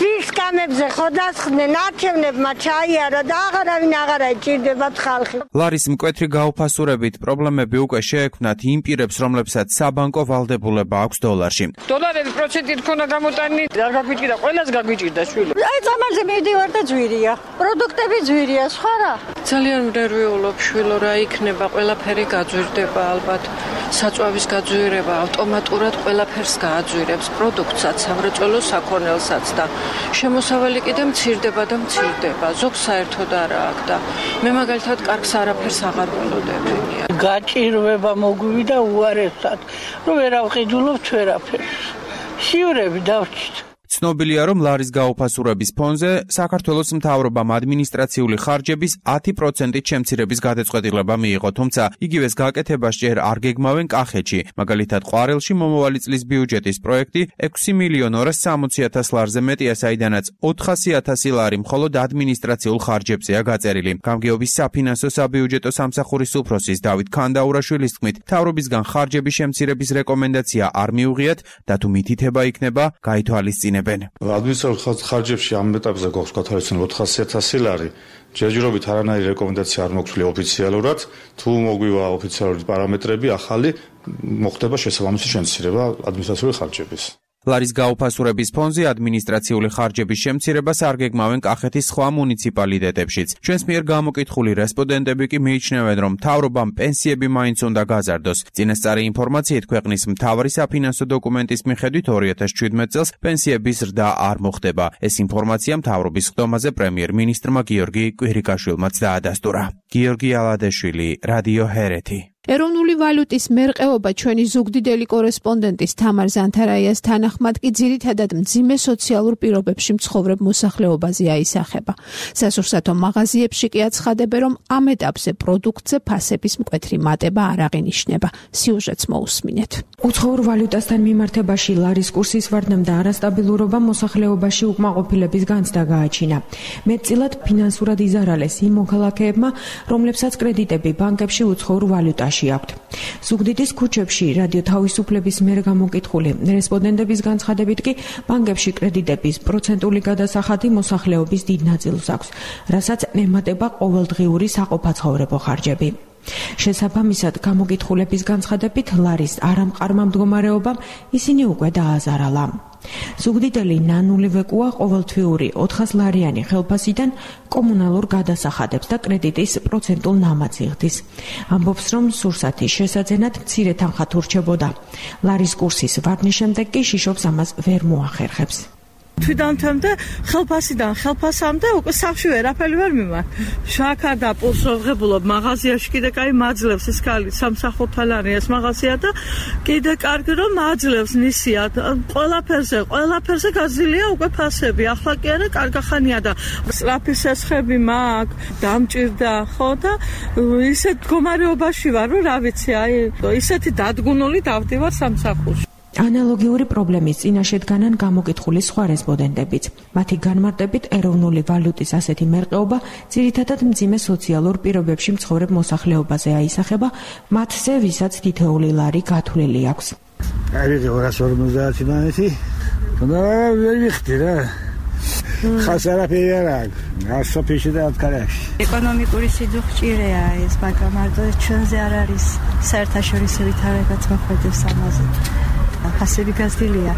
ის კამებზე ხოდასხდნენ, არჩევნებმა ჩაიარა და აღარავინ აღარ ეჭირდებათ ხალხი. ლარის მკვეთრი გაუფასურებით პრობლემები უკვე შეექმნათ იმ პირებს, რომლებსაც საბანკო ვალდებულება აქვს დოლარში. დოლარები პროცენტით ქონა გამოტანილი, არ გაგვიჭირდა, ყველას გაგვიჭირდა შვილი. აი წამალზე მივდივარ და ძვირია. პროდუქტები ძვირია, სხვა რა. ძალიან მნერვიულობ შვილო, რა იქნება, ყველაფერი გაძვირდება ალბათ. საწვავის გაძვირება ავტომატურად ყველაფერს გააძვირებს, პროდუქტსაც, სამრეწველო საქონელსაც და შემოსავალი კიდე მცირდება და მცირდება. ზოგ საერთოდ არა აქვს და მე მაგალითად კარგს არაფერს აღარ ველოდებია. გაჭირვება მოგვივიდა უარესად, რომ ვერ ავყიდულობთ ვერაფერს. შიურები დავჭით. ცნობილია, რომ ლარის გაუფასურების ფონზე საქართველოს მთავრობამ ადმინისტრაციული ხარჯების ათი პროცენტით შემცირების გადაწყვეტილება მიიღო, თუმცა იგივეს გაკეთებას ჯერ არ გეგმავენ კახეთში. მაგალითად, ყვარელში მომავალი წლის ბიუჯეტის პროექტი ექვსი მილიონ ორას სამოცი ათას ლარზე მეტია, საიდანაც ოთხასი ათასი ლარი მხოლოდ ადმინისტრაციულ ხარჯებზეა გაწერილი. გამგეობის საფინანსო საბიუჯეტო სამსახურის უფროსის დავით ქანდაურაშვილის თქმით, მთავრობისგან ხარჯების შემცირების რეკომენდაცია არ მიუღიათ და თუ მითითება იქნება, გაითვალისწინებენ. ადმინისტრაციულ ხარჯებში ამ ეტაპზე გვაქვს გათვალისწინებული ოთხასი ათასი ლარი. ჯერჯერობით არანაირი რეკომენდაცია არ მოგვცვლია ოფიციალურად, თუ მოგვივა ოფიციალური პარამეტრები ახალი, მოხდება შესაბამისი შემცირება ადმინისტრაციული ხარჯების. ლარის გაუფასურების ფონზე ადმინისტრაციული ხარჯების შემცირებას არ გეგმავენ კახეთის სხვა მუნიციპალიტეტებშიც. ჩვენს მიერ გამოკითხული რესპონდენტები კი მიიჩნევენ, რომ მთავრობამ პენსიები მაინც უნდა გაზარდოს. წინასწარი ინფორმაციით ქვეყნის მთავარი საფინანსო დოკუმენტის მიხედვით ორი ათას შვიდმეტ წელს პენსიების ზრდა არ მოხდება. ეს ინფორმაცია მთავრობის ხდომაზე პრემიერ-მინისტრმა გიორგი კვირიკაშვილმაც დაადასტურა. გიორგი ალადაშვილი, რადიო ჰერეთი. ეროვნული ვალუტის მერყეობა ჩვენი ზუგდიდელი კორესპონდენტის თამარ ზანთარაიას თანახმად კი ძირითადად მძიმე სოციალურ პირობებში მცხოვრებ მოსახლეობაზე აისახება. სასურსათო მაღაზიებში კი აცხადებენ, რომ ამ ეტაპზე პროდუქტზე ფასების მკვეთრი მატება არ აღინიშნება. სიუჟეტს მოусმინეთ. უცხოურ ვალუტასთან მიმართებაში ლარის კურსის ვარდნამ და არასტაბილურობა მოსახლეობაში უკმაყოფილების განცდა გააჩინა. მეტწილად ფინანსურად იზარალეს იმ მოქალაქეებმა, რომლებსაც კრედიტები ბანკებში უცხოურ ვალუტაში აქვთ. ზუგდიდის ქუჩებში რადიო თავისუფლების მიერ გამოკითხული რესპონდენტების განცხადებით კი ბანკებში კრედიტების პროცენტული გადასახადი მოსახლეობის დიდ ნაწილს აქვს, რასაც ემატება ყოველდღიური საყოფაცხოვრებო ხარჯები. შესაბამისად, გამოკითხულების განცხადებით ლარის არამყარმა მდგომარეობამ ისინი უკვე დააზარალა. ზუგდიდელი ნანული ვეკუა ყოველთვიური ოთხას ლარიანი ხელფასიდან კომუნალურ გადასახადებს და კრედიტის პროცენტულ ნამats იღდის. ამბობს, რომ სურსათის შესაძენად მცირე თანხად ურჩებოდა. ლარის კურსის ვარდნის შემდეგ კი შიშობს ამას ვერ მოახერხებს. თვითონთემდე ხელფასიდან ხელფასამდე უკვე სახში ვერაფერი ვერ მიმარ. შაქარ და პულს ვღებულობ მაღაზიაში კიდე კაი მაძლევს ეს კალი სამსახურთალანი ეს მაღაზია და კიდე კარგი რომ მაძლევს ნისია ყველაფერზე ყველაფერზე გაძილია უკვე ფასები. ახლა კი არა კარგახანია და სწრაფი სესხები მაქვს დამჭირდა ხო და ისეთ მდგომარეობაში ვარ რომ რა ვიცი აი ისეთი დადგუნული დავდივარ სამსახურში. ანალოგიური პრობლემის წინაშე დგანან გამოკითხული სხვა რესპონდენტებიც. მათი განმარტებით ეროვნული ვალუტის ასეთი მერყეობა ძირითადად მძიმე სოციალურ პირობებში მცხოვრებ მოსახლეობაზე აისახება, მათზე ვისაც თითოეული ლარი გათვლილი აქვს. არის ორას ორმოცდაათი მანეთი. და ვერ ვიხდი რა. ხას არაფერი არ აქვს. გასოფიში და ათქარაში. ეკონომიკური სიძუხჭირეა ეს, მაგრამ მარტო ჩვენზე არ არის საერთაშორისო ვითარებაც მოხდებს ამაზე. ფასები გაზრდილია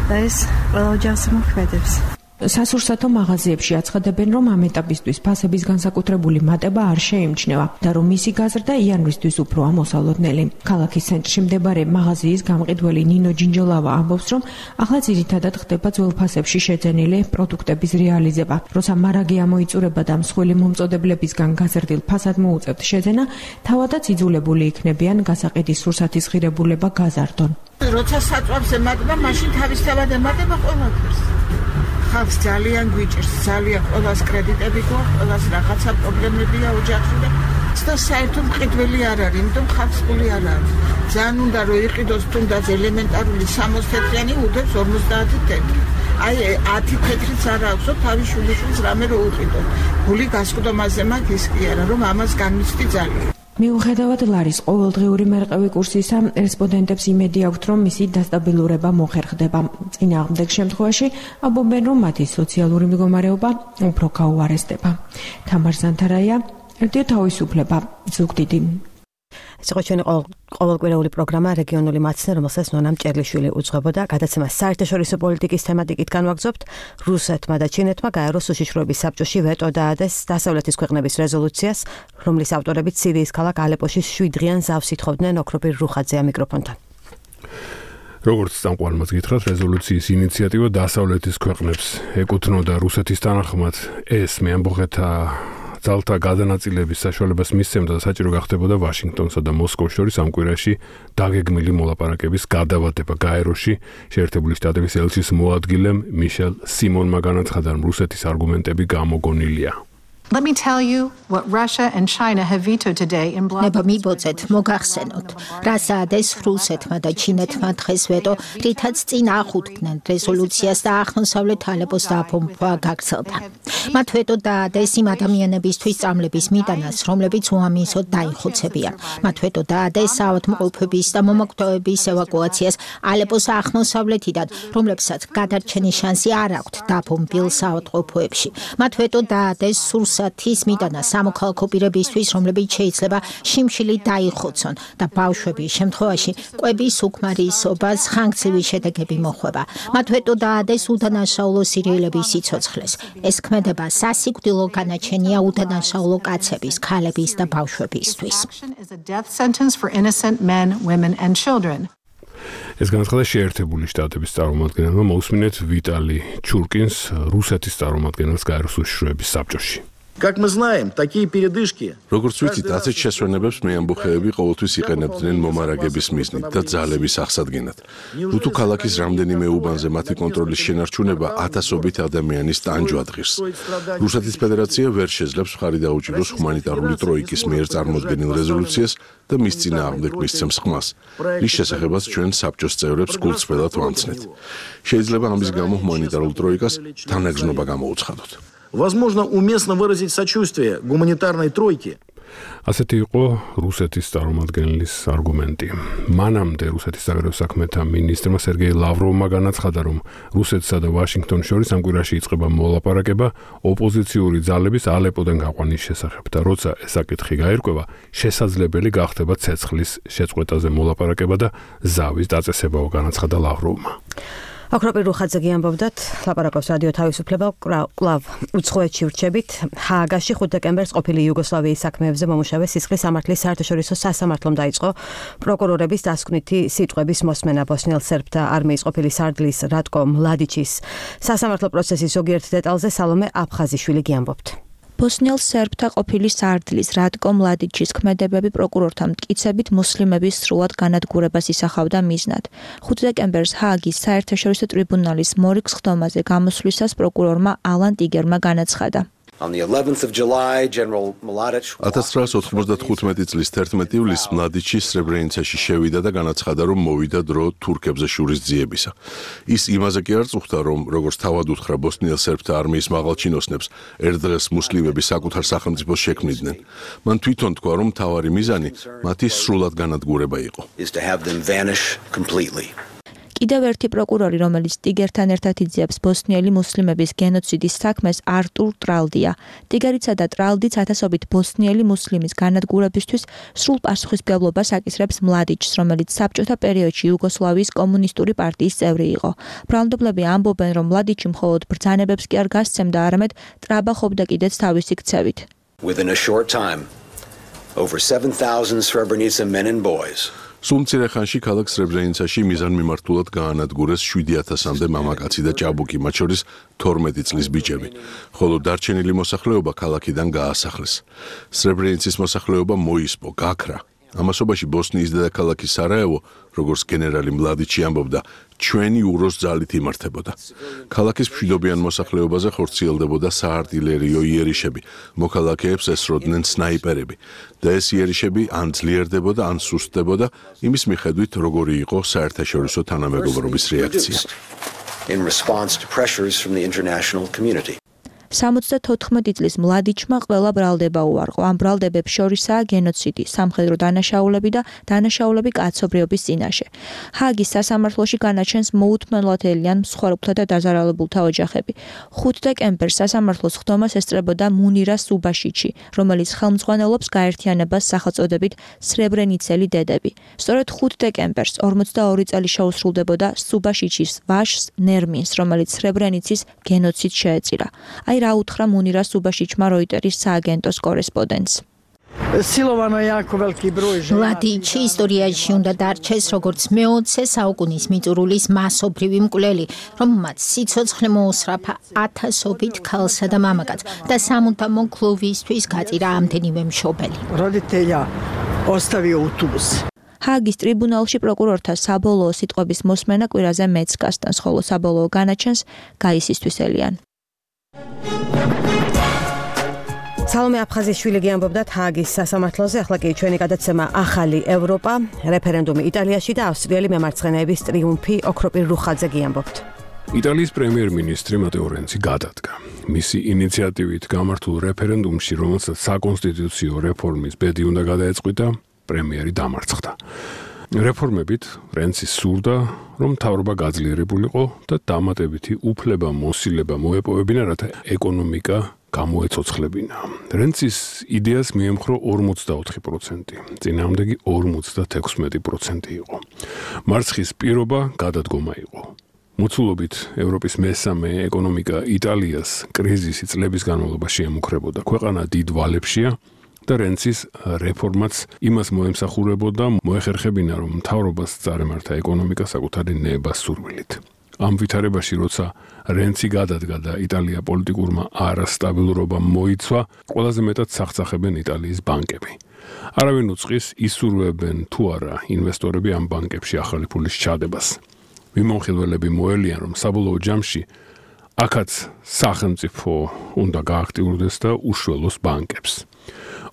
და ეს ყველა ოჯახს მოქმედებს. სასურსათო მაღაზიებში აცხადებენ, რომ ამ ეტაპისთვის ფასების განსაკუთრებული მატება არ შეიმჩნევა და რომ მისი გაზრდა იანვრისთვის უფრო ამოსალოდნელი. ქალაქის ცენტრში მსმდებარე მაღაზიის გამყიდველი ნინო ჯინჯოლავა ამბობს, რომ ახლა ძირითადად ხდება ძველ ფასებში შეძენილი პროდუქტების რეალიზება. როცა მარაგი ამოიწურება და მსხვილი მომწოდებლებისგან გაზრდილ ფასად მოუწევთ შეძენა, თავადაც იძულებული იქნებიან გასაყიდის სურსათის ღირებულება გაზარდონ. როცა საწვავს ემატება, მაშინ თავისთავად ემატება ყველაფერს. ხალხს ძალიან გვიჭირს, ძალიან ყველას კრედიტები გვაქვს, ყველას რაღაცა პრობლემებია ოჯახში და საერთოდ მყიდველი არ არის, იმიტომ ხალხს ფული არ აქვს. ძალიან უნდა რომ იყიდოს თუნდაც ელემენტარული სამოცი თეთრიანი უდებს ორმოცდაათი თეთრი. აი ათი თეთრიც არ აქვს, თავის შვილიშვილს რამე რო უყიდო. ფული გასკვდომაზე მაქვს ის კი არა, რომ ამას განმიცდი ძალიან. მიუხედავად ლარის ყოველდღიური მერყევი კურსისა, რესპონდენტებს იმედი აქვთ, რომ მისი დასტაბილურება მოხერხდება. წინააღმდეგ შემთხვევაში ამბობენ, რომ მათი სოციალური მდგომარეობა უფრო გაუარესდება. თამარ ზანთარაია, რადიო თავისუფლება, ზუგდიდი. ეს იყო ჩვენი ყოველკვირეული პროგრამა რეგიონული მაცნე, რომელსაც ნონა მჭერლიშვილი უძღვებოდა. გადაცემას საერთაშორისო პოლიტიკის თემატიკით განვაგრძობთ. რუსეთმა და ჩინეთმა გაეროს უშიშროების საბჭოში ვეტო დაადეს დასავლეთის ქვეყნების რეზოლუციას, რომლის ავტორებიც სირიის ქალაქ ალეპოში შვიდდღიან ზავს ითხოვდნენ. ოქროპირ რუხაძეა მიკროფონთან. როგორც წამყვანმაც გითხრათ, რეზოლუციის ინიციატივა დასავლეთის ქვეყნებს ეკუთვნოდა რუსეთის თანახმად ეს მეამბოხეთა ძალთა გადანაწილების საშუალებას მისცემდა და საჭირო გახდებოდა ვაშინგტონსა და მოსკოვს შორის ამ კვირაში დაგეგმილი მოლაპარაკების გადავადება გაეროში. შეერთებული შტატების ელჩის მოადგილემ მიშელ სიმონმა განაცხადა, რომ რუსეთის არგუმენტები გამოგონილია. Let me tell you what Russia and China have vetoed today in blood. ნება მიბოცეთ, მოგახსენოთ, რა საადეს რუსეთმა და ჩინეთმა დღეს ვეტო, რითაც წინ ახუდგნენ რეზოლუციას და აღმოსავლეთ ალეპოს დაფომბვა გაგრძელდა. მათ ვეტო დაადეს იმ ადამიანებისთვის წამლების მიტანას, რომლებიც უამისოდ დაიხოცებიან. მათ ვეტო დაადეს საავადმყოფობის და მომაკვდავების ევაკუაციას ალეპოს აღმოსავლეთიდან, რომლებსაც გადარჩენის შანსი არ აქვთ დაფომბილ საავადმყოფოებში. მათ ვეტო დაადეს სურსათის მიტანა სამოქალაქო პირებისთვის, რომლებიც შეიძლება შიმშილი დაიხოცონ და ბავშვების შემთხვევაში კვების უკმარისობას ხანგრძლივი შედეგები მოხვება. მათ ვეტო დაადეს უდანაშაულო სირიელების სიცოცხლეს. ეს ქმედება სასიკვდილო განაჩენია უდანაშაულო კაცების, ქალების და ბავშვებისთვის. ეს განაცხადა შეერთებული შტატების წარმომადგენელმა. მოусმინეთ ვიტალი ჩურკინს, რუსეთის წარმომადგენელს გაეროს უშიშროების საბჭოში. Как мы знаем, такие передышки. როგორც ვიცით, ასეთ შესვენებებს მეამბოხეები ყოველთვის იყენებდნენ მომარაგების მიზნით და ძალების აღსადგენად. რუთუ ქალაქის რამდენიმე უბანზე მათი კონტროლის შენარჩუნება ათასობით ადამიანის ტანჯვა დღის. რუსეთის ფედერაცია ვერ შეძლებს მხარი დაუჭიროს ჰუმანიტარული ტროიკის მიერ წარმოქმნილ რეზოლუციას და მის წინააღმდეგ მისცემს ხმას. რის შესახებაც ჩვენ საბჭოს წევრებს გულწრფელად ვამცნეთ. შეიძლება ამის გამო ჰუმანიტარულ ტროიკას თანაგზნობა გამოუცხადოთ. Возможно, уместно выразить сочувствие гуманитарной тройке. ასეთი იყო რუსეთის წარმომადგენლის არგუმენტი. მანამდე რუსეთის საგარეო საქმეთა მინისტრმა სერგეი ლავროვმა განაცხადა, რომ რუსეთსა და ვაშინგტონის შორის ამ კვირაში იწყება მოლაპარაკება ოპოზიციური ძალების ალეპოდან გაყვანის შესახებ და როცა ეს საკითხი გაირკვევა, შესაძლებელი გახდება ცეცხლის შეწყვეტაზე მოლაპარაკება და ზავის დაწესებაო, განაცხადა ლავროვმა. ოქროპირ რუხაძე ამბობდათ, ლაპარაკობს რადიო თავისუფლება კლავ უცხოეთში ვრჩებით. ჰააგაში ხუთი დეკემბერს ყოფილი იუგოსლავიის საქმეებზე მომუშავე სისხლის სამართლის საერთაშორისო სასამართლომ დაიწყო პროკურორების დასკვნითი სიტყვების მოსმენა ბოსნიელ სერბთა არმიის ყოფილი სარდლის რატკო მლადიჩის სასამართლო პროცესის ზოგიერთ დეტალზე სალომე აფხაზიშვილი გიამბობთ. ბოსნიელ სერბთა ყოფილი სარდლის რატკო მლადიჩის ქმედებები პროკურორთა მტკიცებით მუსლიმების სრულად განადგურებას ისახავდა მიზნად. ხუთი დეკემბერს ჰააგის საერთაშორისო ტრიბუნალის მორიგ სხდომაზე გამოსვლისას პროკურორმა ალან ტიგერმა განაცხადა. ათას ცხრაას ოთხმოცდათხუთმეტი წლის თერთმეტი ივლისს მლადიჩი სრებრენიცაში შევიდა და განაცხადა, რომ მოვიდა დრო თურქებზე შურის ძიებისა. ის იმაზე კი არ წუხდა, რომ როგორც თავად უთხრა ბოსნიელ სერბთა არმიის მაღალჩინოსნებს ერთ დღეს მუსლიმები საკუთარ სახელმწიფოს შექმნიდნენ. მან თვითონ თქვა, რომ მთავარი მიზანი მათი სრულად განადგურება იყო. კიდევ ერთი პროკურორი, რომელიც ტიგერთან ერთად იძიებს ბოსნიელი მუსლიმების გენოციდის საქმეს, არტურ ტრალდია. ტიგერიცა და ტრალდიც ათასობით ბოსნიელი მუსლიმის განადგურებისთვის სრულ პასუხისმგებლობას აკისრებს მლადიჩს, რომელიც საბჭოთა პერიოდში იუგოსლავიის კომუნისტური პარტიის წევრი იყო. ბრალმდებლები ამბობენ, რომ მლადიჩი მხოლოდ ბრძანებებს კი არ გასცემდა, არამედ ტრაბახობდა კიდეც თავისი ქცევით. Within a short time, over seven thousand Srebrenica men and boys სულ მცირე ხანში ქალაქ სრებრენიცაში მიზანმიმართულად გაანადგურეს შვიდი ათასამდე მამაკაცი და ჭაბუკი, მათ შორის თორმეტი წლის ბიჭები, ხოლო დარჩენილი მოსახლეობა ქალაქიდან გაასახლეს. სრებრენიცის მოსახლეობა მოისპო, გაქრა. ამასობაში ბოსნიის დედაქალაქი სარაევო, როგორც გენერალი მლადიჩი ამბობდა, ჩვენი უროს ძალით იმართებოდა. ქალაქის მშვიდობიან მოსახლეობაზე ხორციელდებოდა საარტილერიო იერიშები, მოქალაქეებს ესროდნენ სნაიპერები და ეს იერიშები ან ძლიერდებოდა, ან სუსტდებოდა, იმის მიხედვით, როგორი იყო საერთაშორისო თანამეგობრობის რეაქცია. in response to pressures from the international community. სამოცდათოთხმეტი წლის მლადიჩმა ყველა ბრალდება უარყო. ამ ბრალდებებს შორისაა გენოციდი, სამხედრო დანაშაულები და დანაშაულები კაცობრიობის წინაშე. ჰააგის სასამართლოში განაჩენს მოუთმენლად ელიან მსხვერპლთა და დაზარალებულთა ოჯახები. ხუთი დეკემბერს სასამართლოს ხდომას ესწრებოდა მუნირა სუბაშიჩი, რომელიც ხელმძღვანელობს გაერთიანებას სახელწოდებით სრებრენიცელი დედები. სწორედ ხუთი დეკემბერს ორმოცდაორი წელი შეუსრულდებოდა სუბაშიჩის ვაჟს ნერმინს, რომელიც სრებრენიცის გენოციდს შეეწირა. აი რა უთხრა მუნირა სუბაშიჩმა როიტერის სააგენტოს კორესპონდენტს. მლადიჩი ისტორიაში უნდა დარჩეს როგორც მეოცე საუკუნის მიწურულის მასობრივი მკვლელი, რომ მათ სიცოცხლე მოუსწრაფა ათასობით ქალსა და მამაკაცს და სამუდამო კლუბისთვის გაწირა ამდენივე მშობელი. ჰააგის ტრიბუნალში პროკურორთა საბოლოო სიტყვების მოსმენა კვირაზე მეც გასტანს, ხოლო საბოლოო განაჩენს გაისისთვის ელიან. სალომე აფხაზიშვილი გიამბობდათ ჰააგის სასამართლოზე. ახლა კი ჩვენი გადაცემა ახალი ევროპა, რეფერენდუმი იტალიაში და ავსტრიელი მემარცხენეების ტრიუმფი. ოქროპირ რუხაძე გიამბობთ. იტალიის პრემიერ-მინისტრი მატეო რენცი გადადგა. მისი ინიციატივით გამართულ რეფერენდუმში, რომელსაც საკონსტიტუციო რეფორმის ბედი უნდა გადაეწყვიტა, პრემიერი დამარცხდა. რეფორმებით რენცი სურდა, რომ მთავრობა გაძლიერებულიყო და დამატებითი უფლება მოსილება მოეპოვებინა, რათა ეკონომიკა გამოეცოცხლებინა. რენცის იდეას მიემხრო ორმოცდაოთხი პროცენტი, წინააღმდეგი ორმოცდათექვსმეტი პროცენტი იყო. მარცხის პირობა გადადგომა იყო. მოცულობით ევროპის მესამე ეკონომიკა იტალიას კრიზისი წლების განმავლობაში ემუქრებოდა. ქვეყანა დიდ ვალებშია და რენცის რეფორმაც იმას მოემსახურებოდა, მოეხერხებინა, რომ მთავრობას წარემართა ეკონომიკა საკუთარი ნებასურვილით. ამ ვითარებაში, როცა რენცი გადადგა და იტალია პოლიტიკურმა არასტაბილურობამ მოიცვა, ყველაზე მეტად სახცახებენ იტალიის ბანკები. არავინ უწყის ისურვებენ თუ არა ინვესტორები ამ ბანკებში ახალი ფულის ჩადებას. მიმოხილველები მოელიან, რომ საბოლოო ჯამში აქაც სახელმწიფო უნდა გააქტიურდეს და უშველოს ბანკებს.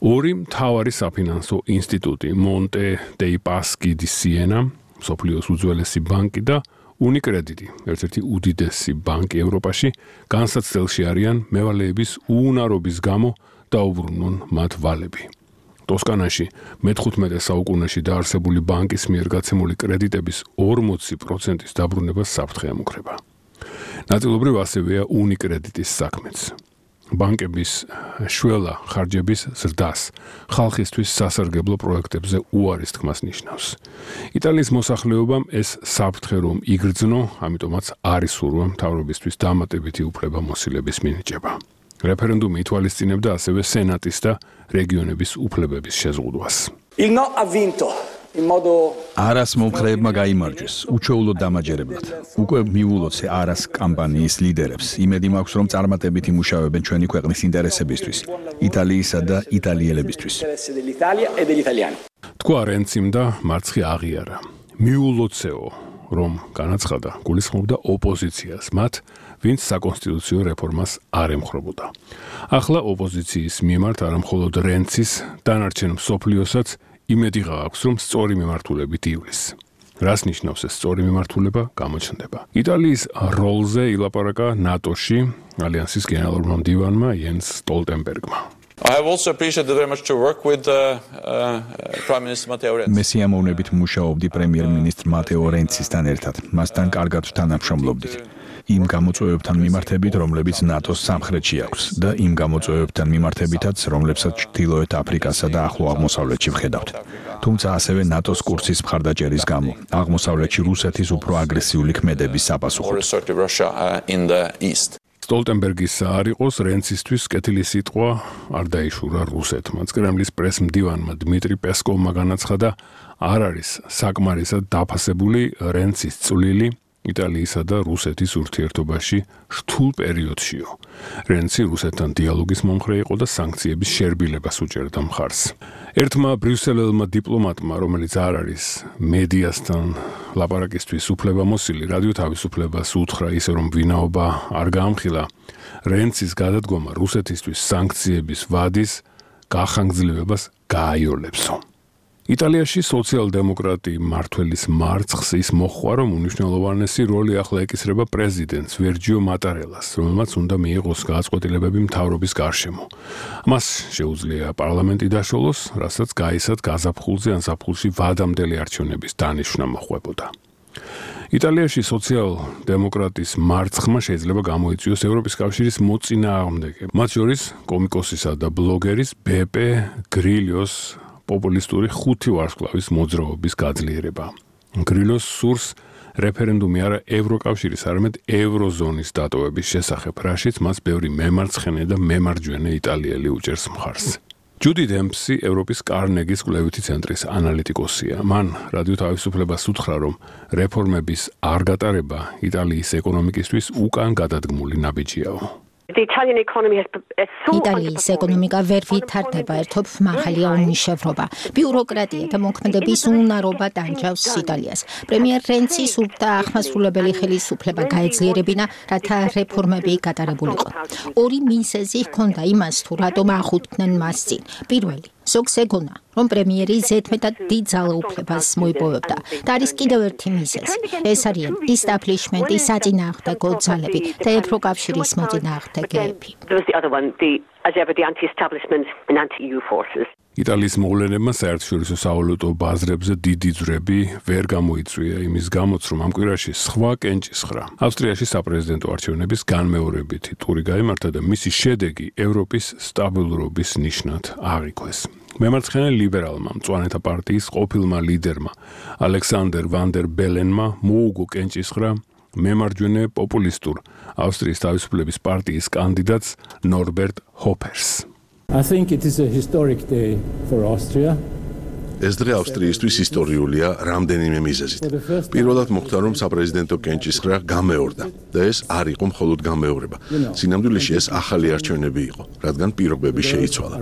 ორი მთავარი საფინანსო ინსტიტუტი, მონტე დეი პასკი დი სიენა, მსოფლიოს უძველესი ბანკი და უნიკრედიტი, ერთ-ერთი უდიდესი ბანკი ევროპაში, განსაცდელში არიან მევალეების უუნარობის გამო დაუბრუნონ მათ ვალები. ტოსკანაში მეთხუთმეტე საუკუნეში დაარსებული ბანკის მიერ გაცემული კრედიტების ორმოცი პროცენტის დაბრუნებას საფრთხე ემუქრება. ნაწილობრივ ასევეა უნიკრედიტის საქმეც. ბანკების შველა ხარჯების ზრდას, ხალხისთვის სასარგებლო პროექტებზე უარის თქმას ნიშნავს. იტალიის მოსახლეობამ ეს საფრთხე რომ იგრძნო, ამიტომაც არის სურვა მთავრობისთვის დამატებითი უფლება მოსილების მინიჭება. რეფერენდუმი ითვალისწინებდა ასევე სენატის და რეგიონების უფლებების შეზღუდვას. არას მომხრეებმა გაიმარჯვეს, უჩვეულოდ დამაჯერებლად. უკვე მიულოცე არას კამპანიის ლიდერებს. იმედი მაქვს, რომ წარმატებით იმუშავებენ ჩვენი ქვეყნის ინტერესებისთვის, იტალიისა და იტალიელებისთვის. თქვა რენციმ და მარცხი აღიარა. მიულოცეო, რომ განაცხადა, გულისხმობდა ოპოზიციას, მათ, ვინც საკონსტიტუციო რეფორმას არ ემხრობოდა. ახლა ოპოზიციის მიმართ არა მხოლოდ რენცის, დანარჩენ მსოფლიოსაც იმედი გააქვს, რომ სწორი მიმართულებით ივლის. რას ნიშნავს ეს სწორი მიმართულება, გამოჩნდება. იტალიის როლზე ilaparaqa ნატოში ალიანსის გენერალურმა მდივანმა იენს სტოლტენბერგმა. I have also appreciated very much to work with uh, uh, Prime Minister Matteo Renzi. მე სიამოვნებით მუშაობდი პრემიერ-მინისტრ მატეო რენცისთან ერთად. მასთან კარგად ვთანამშრომლობდით. იმ გამოწვევებთან მიმართებით, რომლებიც ნატოს სამხრეთში აქვს და იმ გამოწვევებთან მიმართებითაც, რომლებსაც ჩრდილოეთ აფრიკასა და ახლო აღმოსავლეთში ვხედავთ. თუმცა ასევე ნატოს კურსის მხარდაჭერის გამო, აღმოსავლეთში რუსეთის უფრო აგრესიული ქმედების საპასუხოდ. სტოლტენბერგის არ იყოს რენცისთვის კეთილი სიტყვა არ დაიშურა რუსეთმა. კრემლის პრეს-მდივანმა დმიტრი პესკოვმა განაცხადა, არ არის საკმარისად დაფასებული რენცის წვლილი იტალიისა და რუსეთის ურთიერთობაში რთულ პერიოდშიო. რენცი რუსეთთან დიალოგის მომხრე იყო და სანქციების შერბილებას უჭერდა მხარს. ერთმა ბრიუსელელმა დიპლომატმა, რომელიც არ არის მედიასთან ლაპარაკისთვის უფლებამოსილი, რადიო თავისუფლებას უთხრა ისე რომ ვინაობა არ გაამხილა, რენცის გადადგომა რუსეთისთვის სანქციების ვადის გახანგრძლივებას გააიოლებსო. იტალიაში სოციალ-დემოკრატი მმართველის მარცხს ის მოჰყვა, რომ უნიშნელოვანესი როლი ახლა ეკისრება პრეზიდენტს ვერჯიო მატარელას, რომელმაც უნდა მიიღოს გადაწყვეტილებები მთავრობის გარშემო. მას შეუძლია პარლამენტი დაშოლოს, რასაც გაისად გაზაფხულზე ან ზაფხულში ვადამდელი არჩევნების დანიშვნა მოჰყვებოდა. იტალიაში სოციალ-დემოკრატის მარცხმა შეიძლება გამოიწვიოს ევროპის კავშირის მოწინააღმდეგე, მათ შორის კომიკოსისა და ბლოგერის ბეპე გრილიოს პოპულისტური ხუთი ვარსკვლავის მოძრაობის გაძლიერება. გრილოს სურს რეფერენდუმი არა ევროკავშირის, არამედ ევროზონის დატოვების შესახებ, რაშიც მას ბევრი მემარცხენე და მემარჯვენე იტალიელი უჭერს მხარს. ჯუდი დემპსი ევროპის კარნეგის კვლევითი ცენტრის ანალიტიკოსია. მან რადიო თავისუფლებას უთხრა, რომ რეფორმების არ გატარება იტალიის ეკონომიკისთვის უკან გადადგმული ნაბიჯიაო. იტალიის ეკონომიკა ვერ ვითარდება, ერთობ მაღალია უმუშევრობა. ბიუროკრატია და მოქმედების უნარობა ტანჯავს იტალიას. პრემიერ რენცი სურდა ახმასრულებელი ხელისუფლება გაეძლიერებინა, რათა რეფორმები გატარებულიყო. ორი მიზეზი ჰქონდა იმას, თუ რატომ ახუტდნენ მას წინ. პირველი ზოგს ეგონა, რომ პრემიერი ზედმეტად დიდ ძალაუფლებას მოიპოვებდა და არის კიდევ ერთი მიზეზი. ეს არიან ისტაბლიშმენტი, საწინააღმდეგო ძალები და ევროკავშირის მოწინააღმდეგეები. იტალიის მოვლენებმა საერთაშორისო სავალუტო ბაზრებზე დიდი ძვრები ვერ გამოიწვია იმის გამოც, რომ ამ კვირაში სხვა კენჭისხრა ავსტრიაში საპრეზიდენტო არჩევნების განმეორებითი ტური გაიმართა და მისი შედეგი ევროპის სტაბილურობის ნიშნად აღიქვეს. მემარცხენე ლიბერალმა მწვანეთა პარტიის ყოფილმა ლიდერმა ალექსანდერ ვან დერ ბელენმა მოუგო კენჭისხრა მემარჯვენე პოპულისტურ ავსტრიის თავისუფლების პარტიის კანდიდატს ნორბერტ ჰოფერს. I think it is a historic day for Austria. ეს დღე ავსტრიისთვის ისტორიულია რამდენიმე მიზეზით. პირველად მოხდა, რომ საპრეზიდენტო კენჭისხრა გამეორდა და ეს არ იყო მხოლოდ გამეორება. სინამდვილეში ეს ახალი არჩევნები იყო, რადგან პირობები შეიცვალა.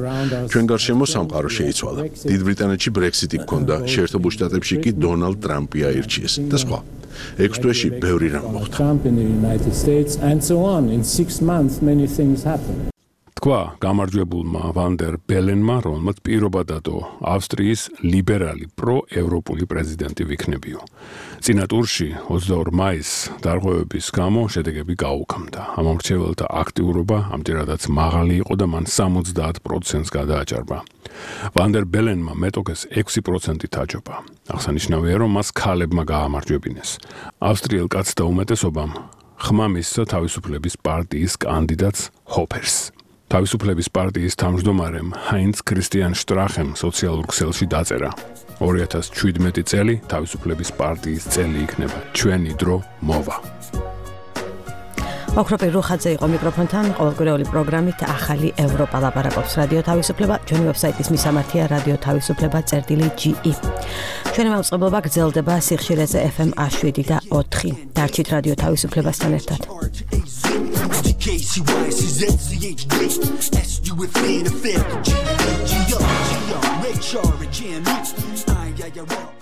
ჩვენ გარშემო სამყარო შეიცვალა. დიდ ბრიტანეთში ბრექსიტი გქონდა, შეერთებულ შტატებში კი დონალდ ტრამპი აირჩიეს და სხვა. ექვს თვეში ბევრი რამ მოხდა. თქვა გამარჯვებულმა ვან დერ ბელენმა, რომელმაც პირობა დადო ავსტრიის ლიბერალი პროევროპული პრეზიდენტი ვიქნებიო. წინა ტურში ოცდაორ მაისს დარღვევების გამო შედეგები გაუქმდა. ამ მრჩეველთა აქტიურობა ამჯერადაც მაღალი იყო და მან სამოცდაათ პროცენტს გადააჭარბა. ვან დერ ბელენმა მეტოქეს ექვსი პროცენტი დაჯობა. აღსანიშნავია, რომ მას ქალებმა გაამარჯვებინეს. ავსტრიელ კაცთა უმეტესობამ ხმა მისცა თავისუფლების პარტიის კანდიდატს ჰოფერს. თავისუფლების პარტიის თავმჯდომარემ ჰაინც ქრისტიან შტრახემ სოციალურ ქსელში დაწერა: ორი ათას შვიდმეტი წელი თავისუფლების პარტიის წელი იქნება. ჩვენი დრო მოვა. ოქროპი რუხაძე იყო მიკროფონთან, ყოველკვირეული პროგრამით ახალი ევროპა ლაპარაკობს რადიო თავისუფლება, ჩვენი ვებსაიტის მისამართია რადიო თავისუფლება წერტილი ჯი ი. ჩვენი მაუწყებლობა გრძელდება სიხშირეზე ეფ ემ შვიდი და ოთხი. დარჩით რადიო თავისუფლებასთან ერთად. G, G, G, G, G, G, G, G, G, G, G, G,